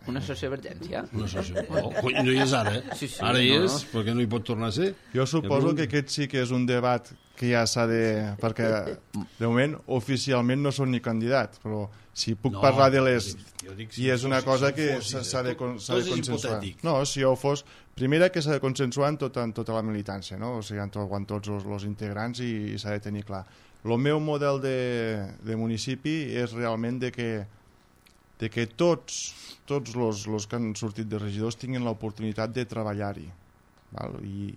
Speaker 1: Una sociovergència.
Speaker 4: No, no hi és ara,
Speaker 1: Sí,
Speaker 4: ara hi és, perquè no hi pot tornar a ser.
Speaker 3: Jo suposo que aquest sí que és un debat que ja s'ha de... perquè de moment oficialment no són ni candidat, però si puc parlar de les... I és una cosa que s'ha de consensuar. No, si jo fos... Primera que s'ha de consensuar en tota la militància, no? O sigui, en tots els integrants i s'ha de tenir clar. El meu model de municipi és realment de que tots els que han sortit de regidors tinguin l'oportunitat de treballar-hi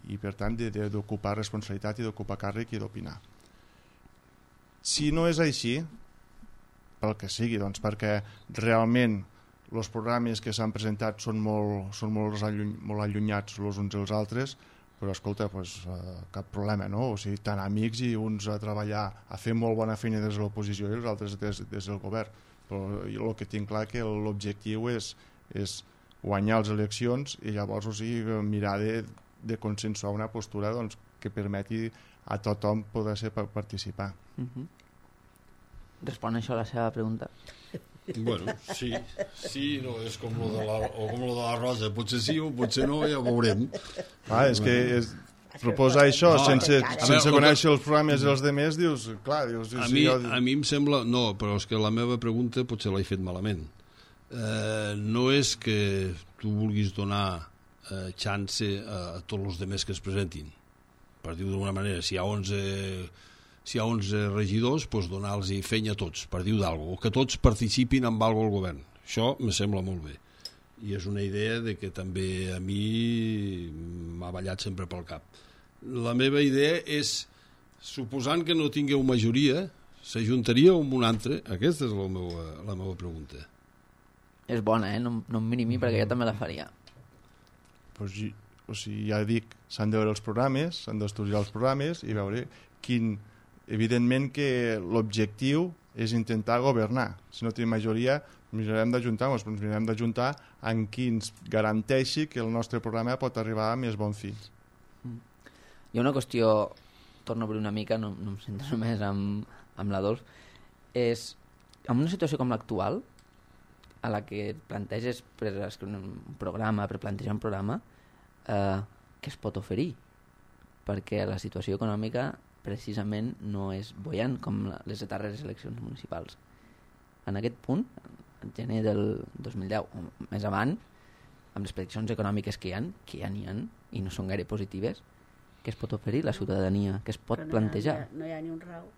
Speaker 3: i per tant d'ocupar responsabilitat i d'ocupar càrrec i d'opinar. Si no és així, pel que sigui, doncs perquè realment els programes que s'han presentat són molt allunyats els uns dels altres, però escolta, cap problema, no? O sigui, tan amics i uns a treballar, a fer molt bona feina des de l'oposició i els altres des del govern. Però el que tinc clar que l'objectiu és guanyar les eleccions i llavors, o sigui, mirar de consensuar una postura doncs, que permeti a tothom poder participar.
Speaker 1: Respon això a la seva pregunta?
Speaker 4: Bueno, sí, no, és com lo de la Rosa, potser sí o potser no, ja ho veurem.
Speaker 3: És que proposar això sense conèixer els programes dels demés, dius, clar,
Speaker 4: a mi em sembla, no, però és que la meva pregunta potser l'he fet malament. No és que tu vulguis donar chance a tots els demés que es presentin, per dir-ho d'alguna manera. Si hi ha 11 regidors, doncs donar-los feina a tots, per dir-ho d'alguna cosa, o que tots participin en alguna cosa al govern. Això me sembla molt bé. I és una idea de que també a mi m'ha ballat sempre pel cap. La meva idea és, suposant que no tingueu majoria, s'ajuntaria amb un altre? Aquesta és la meva pregunta.
Speaker 1: És bona, no em miri perquè jo també la faria.
Speaker 3: O sigui, ja dic, s'han de veure els programes, s'han d'estudiar els programes i veure quin... Evidentment que l'objectiu és intentar governar. Si no tenim majoria, mirarem d'ajuntar-nos, però ens mirarem d'ajuntar en qui ens garanteixi que el nostre programa pot arribar a més bon fi.
Speaker 1: Hi ha una qüestió, torno a obrir una mica, no em sento només amb la Dolç, és, en una situació com l'actual, a la que planteges per escriure un programa, per plantejar un programa, què es pot oferir? Perquè la situació econòmica precisament no és boiant com les darreres eleccions municipals. En aquest punt, en gener del 2010, o més avant, amb les prediccions econòmiques que hi ha i no són gaire positives, què es pot oferir la ciutadania? Què es pot plantejar?
Speaker 2: No hi ha ni un rau.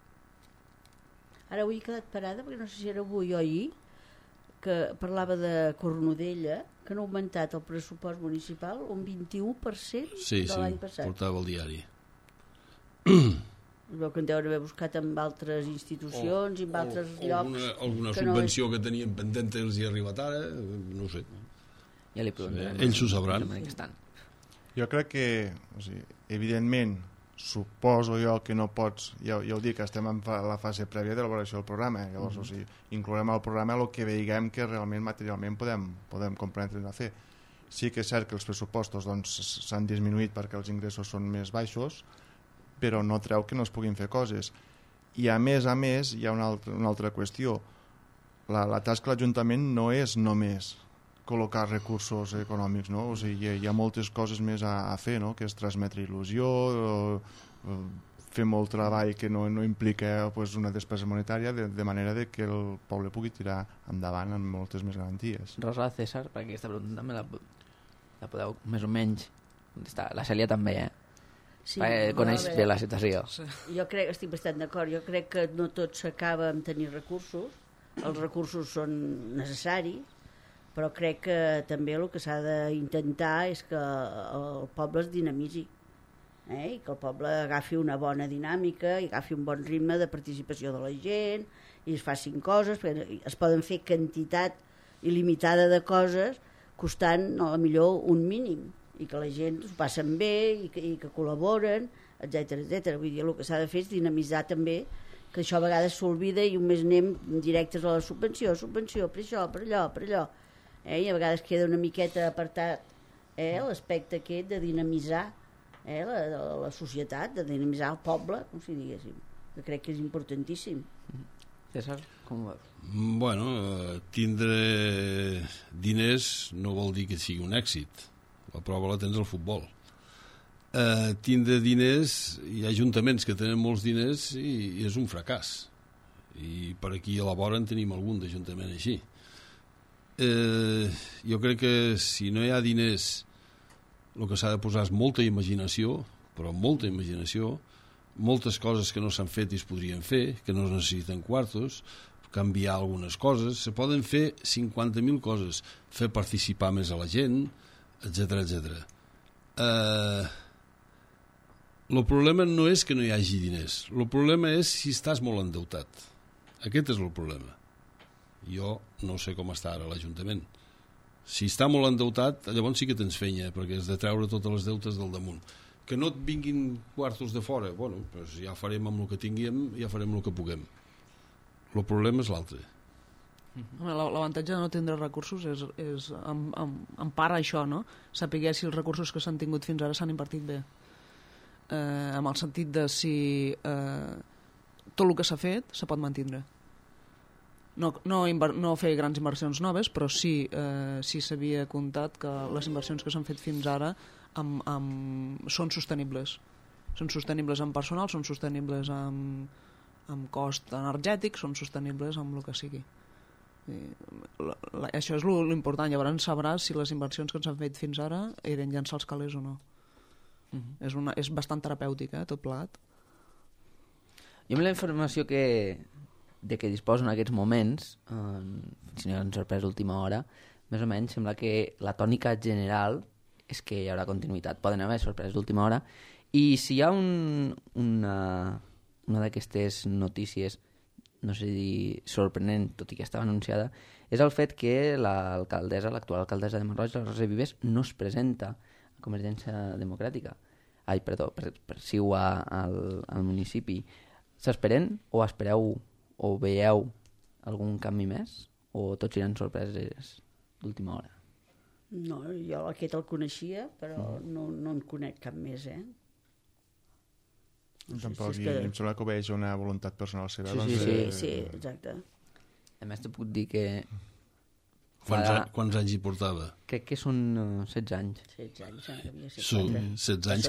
Speaker 2: Ara avui he quedat parada, perquè no sé si era avui o ahir, que parlava de Cornudella, que han augmentat el pressupost municipal un 21% de l'any passat.
Speaker 4: Sí, portava el diari.
Speaker 2: Veu que en deuen haver buscat amb altres institucions i amb altres llocs.
Speaker 4: Alguna subvenció que tenien pendent els hi ha arribat ara, no sé.
Speaker 1: Ja li preguntarem.
Speaker 4: Ells ho sabran.
Speaker 3: Jo crec que, o sigui, evidentment, suposo jo que no pots, ja ho dic, estem en la fase prèvia de l'elaboració del programa, llavors, o sigui, inclourem al programa el que veiguem que realment materialment podem comprendre a fer. Sí que és cert que els pressupostos s'han disminuït perquè els ingressos són més baixos, però no treu que no es puguin fer coses. I a més, hi ha una altra qüestió. La tasca de l'Ajuntament no és només col·locar recursos econòmics, no? O sigui, hi ha moltes coses més a fer, no? Que és transmetre il·lusió, fer molt treball que no implica una despesa monetària, de manera que el poble pugui tirar endavant amb moltes més garanties.
Speaker 1: Rosa, César, perquè aquesta pregunta també la podeu més o menys contestar. La Cèlia també,
Speaker 2: Sí,
Speaker 1: coneix bé la situació.
Speaker 2: Sí. Jo estic bastant d'acord. Jo crec que no tot s'acaba amb tenir recursos. Els recursos són necessaris, però crec que també el que s'ha d'intentar és que el poble es dinamitzi, i que el poble agafi una bona dinàmica i agafi un bon ritme de participació de la gent i es facin coses, perquè es poden fer quantitat il·limitada de coses costant millor un mínim, i que la gent s'ho passen bé i que col·laboren, etc. Vull dir, el que s'ha de fer és dinamitzar també, que això a vegades s'olvida i només anem directes a la subvenció, per això, per allò. I a vegades queda una miqueta apartat l'aspecte aquest de dinamitzar la societat, de dinamitzar el poble, com si diguéssim, que crec que és importantíssim.
Speaker 1: César, com ho veus?
Speaker 4: Bueno, tindre diners no vol dir que sigui un èxit. La prova la tens al futbol. Tindre diners, hi ha ajuntaments que tenen molts diners i és un fracàs. I per aquí a la vora en tenim algun d'ajuntament així. Jo crec que si no hi ha diners, el que s'ha de posar és molta imaginació, però molta imaginació, moltes coses que no s'han fet i es podrien fer, que no es necessiten quartos, canviar algunes coses, se poden fer 50.000 coses, fer participar més a la gent, etc. El problema no és que no hi hagi diners, el problema és si estàs molt endeutat. Aquest és el problema. Jo no sé com està ara l'Ajuntament. Si està molt endeutat, llavors sí que tens feina, perquè has de treure totes les deutes del damunt. Que no et vinguin quartos de fora, bueno, doncs ja farem amb el que tinguem, ja farem el que puguem. El problema és l'altre.
Speaker 5: L'avantatge de no tindre recursos és en part això, no? Saber si els recursos que s'han tingut fins ara s'han invertit bé. Amb el sentit de si tot el que s'ha fet se pot mantindre. No fer grans inversions noves, però sí s'havia comptat que les inversions que s'han fet fins ara són sostenibles. Són sostenibles en personal, són sostenibles amb cost energètic, són sostenibles amb el que sigui. Això és l'important. Llavors sabràs si les inversions que s'han fet fins ara eren llançar els calés o no. És bastant terapèutic, tot plegat.
Speaker 1: Jo amb la informació que disposo en aquests moments, si no hi ha una sorpresa d'última hora, més o menys sembla que la tònica general és que hi haurà continuïtat. Poden haver sorpreses d'última hora, i si hi ha una d'aquestes notícies, no sé dir sorprenent, tot i que estava anunciada, és el fet que l'actual alcaldessa de Masroig, la Rosa Vives, no es presenta a Convergència Democràtica. Per CiU al municipi. S'esperen o espereu o veieu algun canvi més? O tots seran sorpreses d'última hora?
Speaker 2: No, jo aquest el coneixia, però no en conec cap més,
Speaker 3: Tampoc, em sembla que obeeix una voluntat personal seva.
Speaker 2: Sí, exacte.
Speaker 1: A més, te puc dir que...
Speaker 4: Quants anys hi portava?
Speaker 1: Crec que són 16 anys.
Speaker 2: 16 anys, devia ser 4.
Speaker 4: 16 anys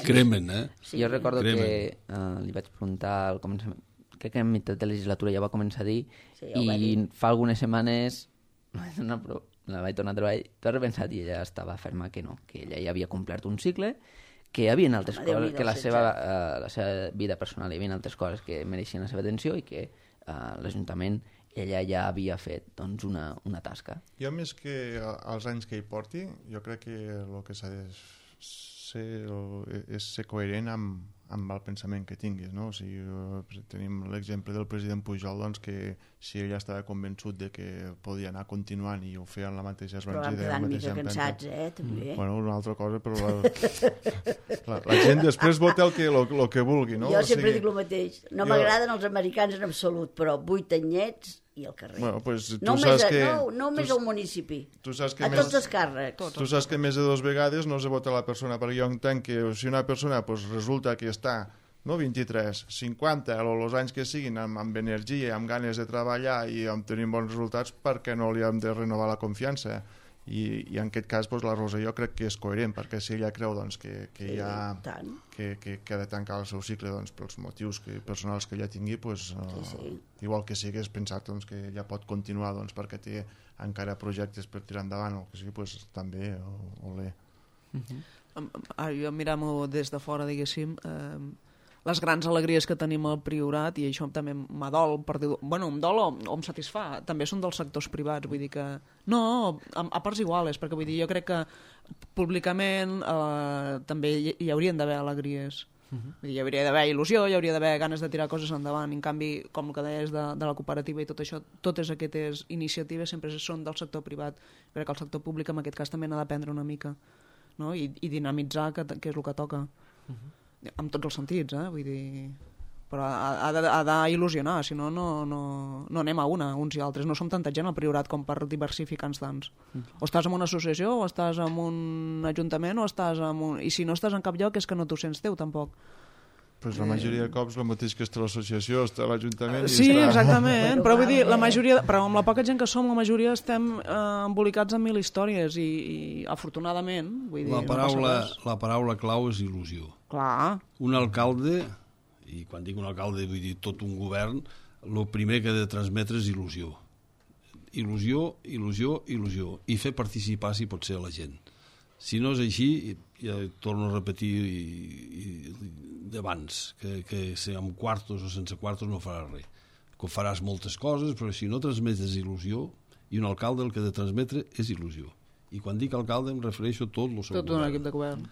Speaker 4: cremen,
Speaker 1: Sí, jo recordo que li vaig preguntar al començament, crec que en meitat de legislatura ja va començar a dir, i fa algunes setmanes la vaig tornar a trobar i t'ho has repensat, i ella estava ferma que no, que ella ja havia complert un cicle, que hi havia altres coses, que la seva vida personal hi havia altres coses que mereixien la seva atenció i que l'Ajuntament ella ja havia fet doncs, una tasca.
Speaker 3: Jo, més que els anys que hi porti, jo crec que el que s'ha de és ser coherent amb el pensament que tinguis, no? O sigui, tenim l'exemple del president Pujol, doncs, que si ella estava convençut de que podia anar continuant i ho feia en la mateixa esbanzida...
Speaker 2: Però vam quedar una mica cansats, també.
Speaker 3: Bueno, una altra cosa, però la gent després vota el que vulgui, no?
Speaker 2: Jo sempre dic el mateix. No m'agraden els americans en absolut, però 8 anyets i al carrer.
Speaker 3: Bueno, pues,
Speaker 2: només al municipi. A tots els càrrecs.
Speaker 3: Tu saps que més de 2 vegades no se vota la persona, perquè jo entenc que si una persona pues, resulta que està 23, 50 o els anys que siguin amb energia, amb ganes de treballar i amb tenir bons resultats, perquè no li hem de renovar la confiança? I en aquest cas pues, la Rosa jo crec que és coherent, perquè si ella creu doncs, que ha de tancar el seu cicle doncs, pels motius personals que ella tingui, pues, igual que sigués pensat doncs, que ella pot continuar doncs, perquè té encara projectes per tirar endavant o que sigui, pues, també olé.
Speaker 5: Jo mirant-ho des de fora, diguéssim, les grans alegries que tenim al Priorat, i això també m'adol, em dol o em satisfà, també són dels sectors privats, vull dir que no, a parts iguales, perquè vull dir, jo crec que públicament també hi haurien d'haver alegries. Vull dir, hi hauria d'haver il·lusió, hi hauria d'haver ganes de tirar coses endavant, en canvi, com el que deies de la cooperativa i tot això, totes aquestes iniciatives sempre són del sector privat. Crec que el sector públic en aquest cas també n'ha d'aprendre una mica, no? I dinamitzar, que és el que toca. En tots els sentits, vull dir... Però ha d'il·lusionar, si no, no anem a uns i altres. No som tanta gent al Priorat com per diversificar-nos tants. O estàs en una associació, o estàs en un ajuntament, o estàs en un... I si no estàs en cap lloc és que no t'ho sents teu, tampoc.
Speaker 3: Pues la majoria de cops el mateix que està l'associació, està l'Ajuntament...
Speaker 5: Sí, exactament, però vull dir, la majoria, però amb la poca gent que som, la majoria estem embolicats en 1000 històries i afortunadament, vull dir...
Speaker 4: La paraula clau és il·lusió.
Speaker 5: Clar.
Speaker 4: Un alcalde, i quan dic un alcalde vull dir tot un govern, el primer que ha de transmetre és il·lusió. Il·lusió, il·lusió, il·lusió. I fer participar, si pot ser, a la gent. Si no és així, ja torno a repetir d'abans, que si amb quartos o sense quartos no faràs res. Que faràs moltes coses, però si no transmetes il·lusió, i un alcalde el que ha de transmetre és il·lusió. I quan dic alcalde em refereixo a tot el seu govern.
Speaker 5: Tot un equip de govern.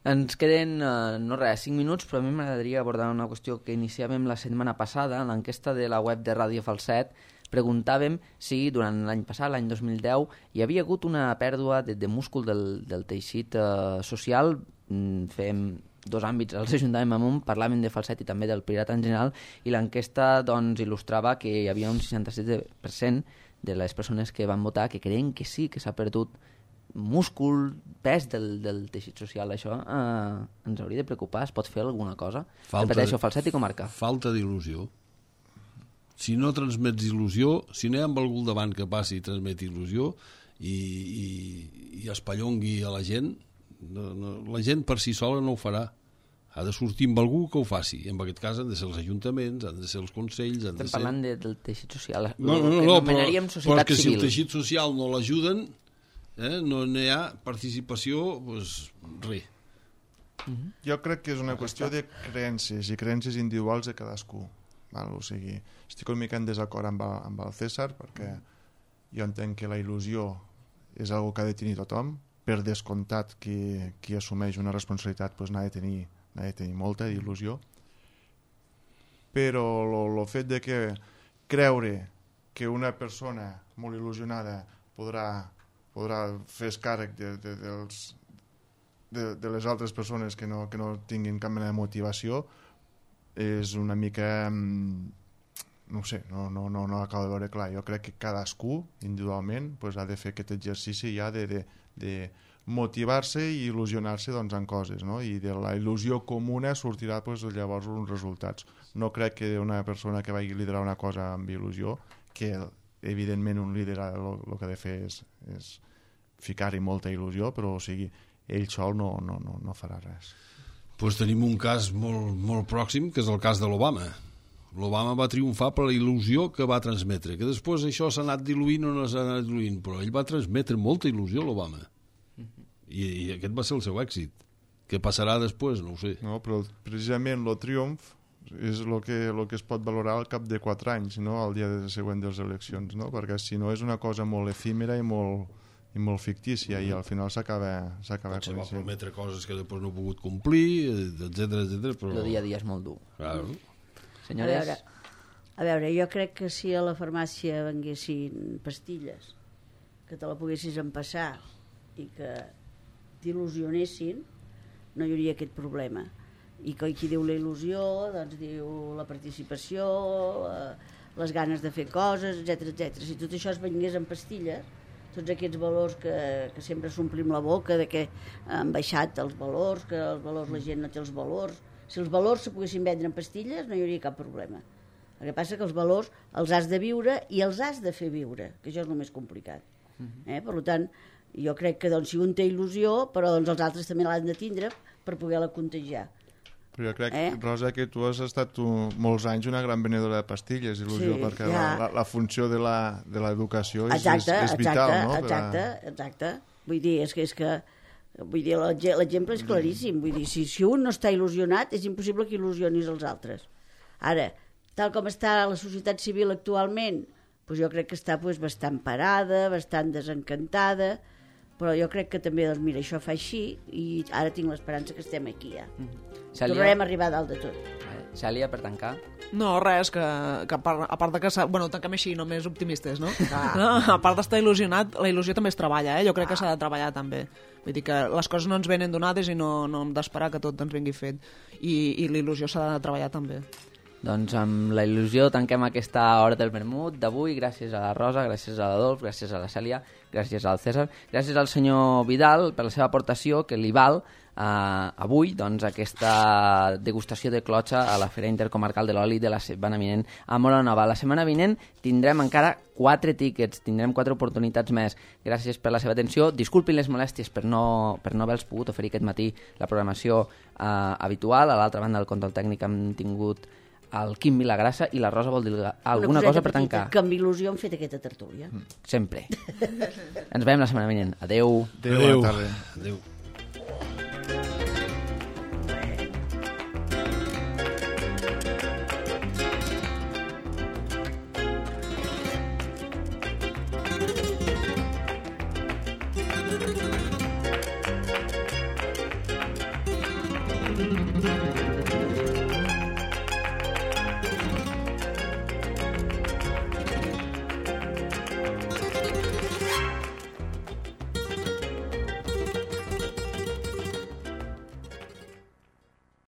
Speaker 1: Ens queden, 5 minuts, però a mi m'agradaria abordar una qüestió que iniciàvem la setmana passada, en l'enquesta de la web de Ràdio Falset, preguntàvem si durant l'any passat, l'any 2010, hi havia hagut una pèrdua de múscul del teixit social. Fem 2 àmbits, els ajuntàvem amb un, parlàvem de falset i també del Priorat en general, i l'enquesta doncs, il·lustrava que hi havia un 67% de les persones que van votar que creien que sí, que s'ha perdut múscul, pes del teixit social. Això ens hauria de preocupar. Es pot fer alguna cosa? Repeteixo, falset i comarca.
Speaker 4: Falta d'il·lusió. Si no transmets il·lusió, si no hi ha algú al davant que passi i transmeti il·lusió i espallongui a la gent, la gent per si sola no ho farà. Ha de sortir amb algú que ho faci. En aquest cas han de ser els ajuntaments, han de ser els consells...
Speaker 1: Estem parlant del teixit social.
Speaker 4: No, però que si el teixit social no l'ajuden, no hi ha participació, doncs res.
Speaker 3: Jo crec que és una qüestió de creences i creences individuals de cadascú. O sigui, estic una mica en desacord amb el César, perquè jo entenc que la il·lusió és una que ha de tenir tothom. Per descomptat, qui assumeix una responsabilitat n'ha de tenir molta il·lusió, però el fet de que creure que una persona molt il·lusionada podrà fer càrrec de les altres persones que no tinguin cap mena de motivació és una mica no sé, no acabo de veure clar. Jo crec que cadascú individualment ha de fer aquest exercici ja de motivar-se i il·lusionar-se en coses, no? I de la il·lusió comuna sortirà llavors uns resultats. No crec que una persona que vagi liderar una cosa amb il·lusió, que evidentment un líder el que ha de fer és ficar-hi molta il·lusió, però o sigui, ell sol no farà res.
Speaker 4: Pues tenim un cas molt pròxim, que és el cas de l'Obama. L'Obama va triomfar per la il·lusió que va transmetre, que després això s'ha anat diluint o no s'ha anat diluint, però ell va transmetre molta il·lusió, l'Obama. I aquest va ser el seu èxit. Què passarà després? No ho sé.
Speaker 3: No, però precisament el triomf és el que es pot valorar al cap de 4 anys, no? Al dia següent de les eleccions, no? Perquè si no és una cosa molt efímera i molt fictícia i al final s'acaba
Speaker 4: potser va prometre coses que després no ha pogut complir, etc. Però...
Speaker 1: El dia a dia és molt dur.
Speaker 4: Claro.
Speaker 1: Senyores...
Speaker 2: A veure, jo crec que si a la farmàcia venguessin pastilles que te la poguessis empassar i que t'il·lusionessin, no hi hauria aquest problema. I qui diu la il·lusió, doncs diu la participació, les ganes de fer coses, etc. Si tot això es vengués en pastilles, tots aquests valors que sempre s'omplim la boca, de que han baixat els valors, que els valors la gent no té els valors, si els valors se poguessin vendre en pastilles no hi hauria cap problema. El que passa que els valors els has de viure i els has de fer viure, que això és el més complicat. Per tant, jo crec que si un té il·lusió, però els altres també l'han de tindre per poder-la contagiar.
Speaker 3: Però jo crec, Rosa, que tu has estat molts anys una gran venedora de pastilles, il·lusió, sí, perquè la funció de l'educació és vital, no?
Speaker 2: Exacte. Vull dir, l'exemple és claríssim. Vull dir, si un no està il·lusionat, és impossible que il·lusionis els altres. Ara, tal com està la societat civil actualment, doncs jo crec que està bastant parada, bastant desencantada, però jo crec que també, mira, això fa així i ara tinc l'esperança que estem aquí ja. Tornarem a arribar a dalt de tot.
Speaker 1: Cèlia, per tancar?
Speaker 5: No, res, que a part de que... Bueno, tanquem així, només optimistes, no? A part d'estar il·lusionat, la il·lusió també es treballa, Jo crec que s'ha de treballar també. Vull dir que les coses no ens venen donades i no hem d'esperar que tot ens vingui fet. I la il·lusió s'ha de treballar també.
Speaker 1: Doncs amb la il·lusió tanquem aquesta hora del vermut d'avui. Gràcies a la Rosa, gràcies a l'Adolf, gràcies a la Cèlia, gràcies al César, gràcies al senyor Vidal per la seva aportació, que li val avui aquesta degustació de clotxa a la Fira Intercomarcal de l'Oli de la setmana vinent a Móra Nova. La setmana vinent tindrem encara 4 tíquets, tindrem 4 oportunitats més. Gràcies per la seva atenció. Disculpin les molèsties per no haver-los pogut oferir aquest matí la programació habitual. A l'altra banda del control tècnic hem tingut el Quim Vilagrassa i la Rosa vol dir alguna cosa per tancar.
Speaker 2: Que amb il·lusió hem fet aquesta tertúlia.
Speaker 1: Sempre. Ens veiem la setmana vinent. Adeu.
Speaker 3: Adeu.
Speaker 4: Adeu.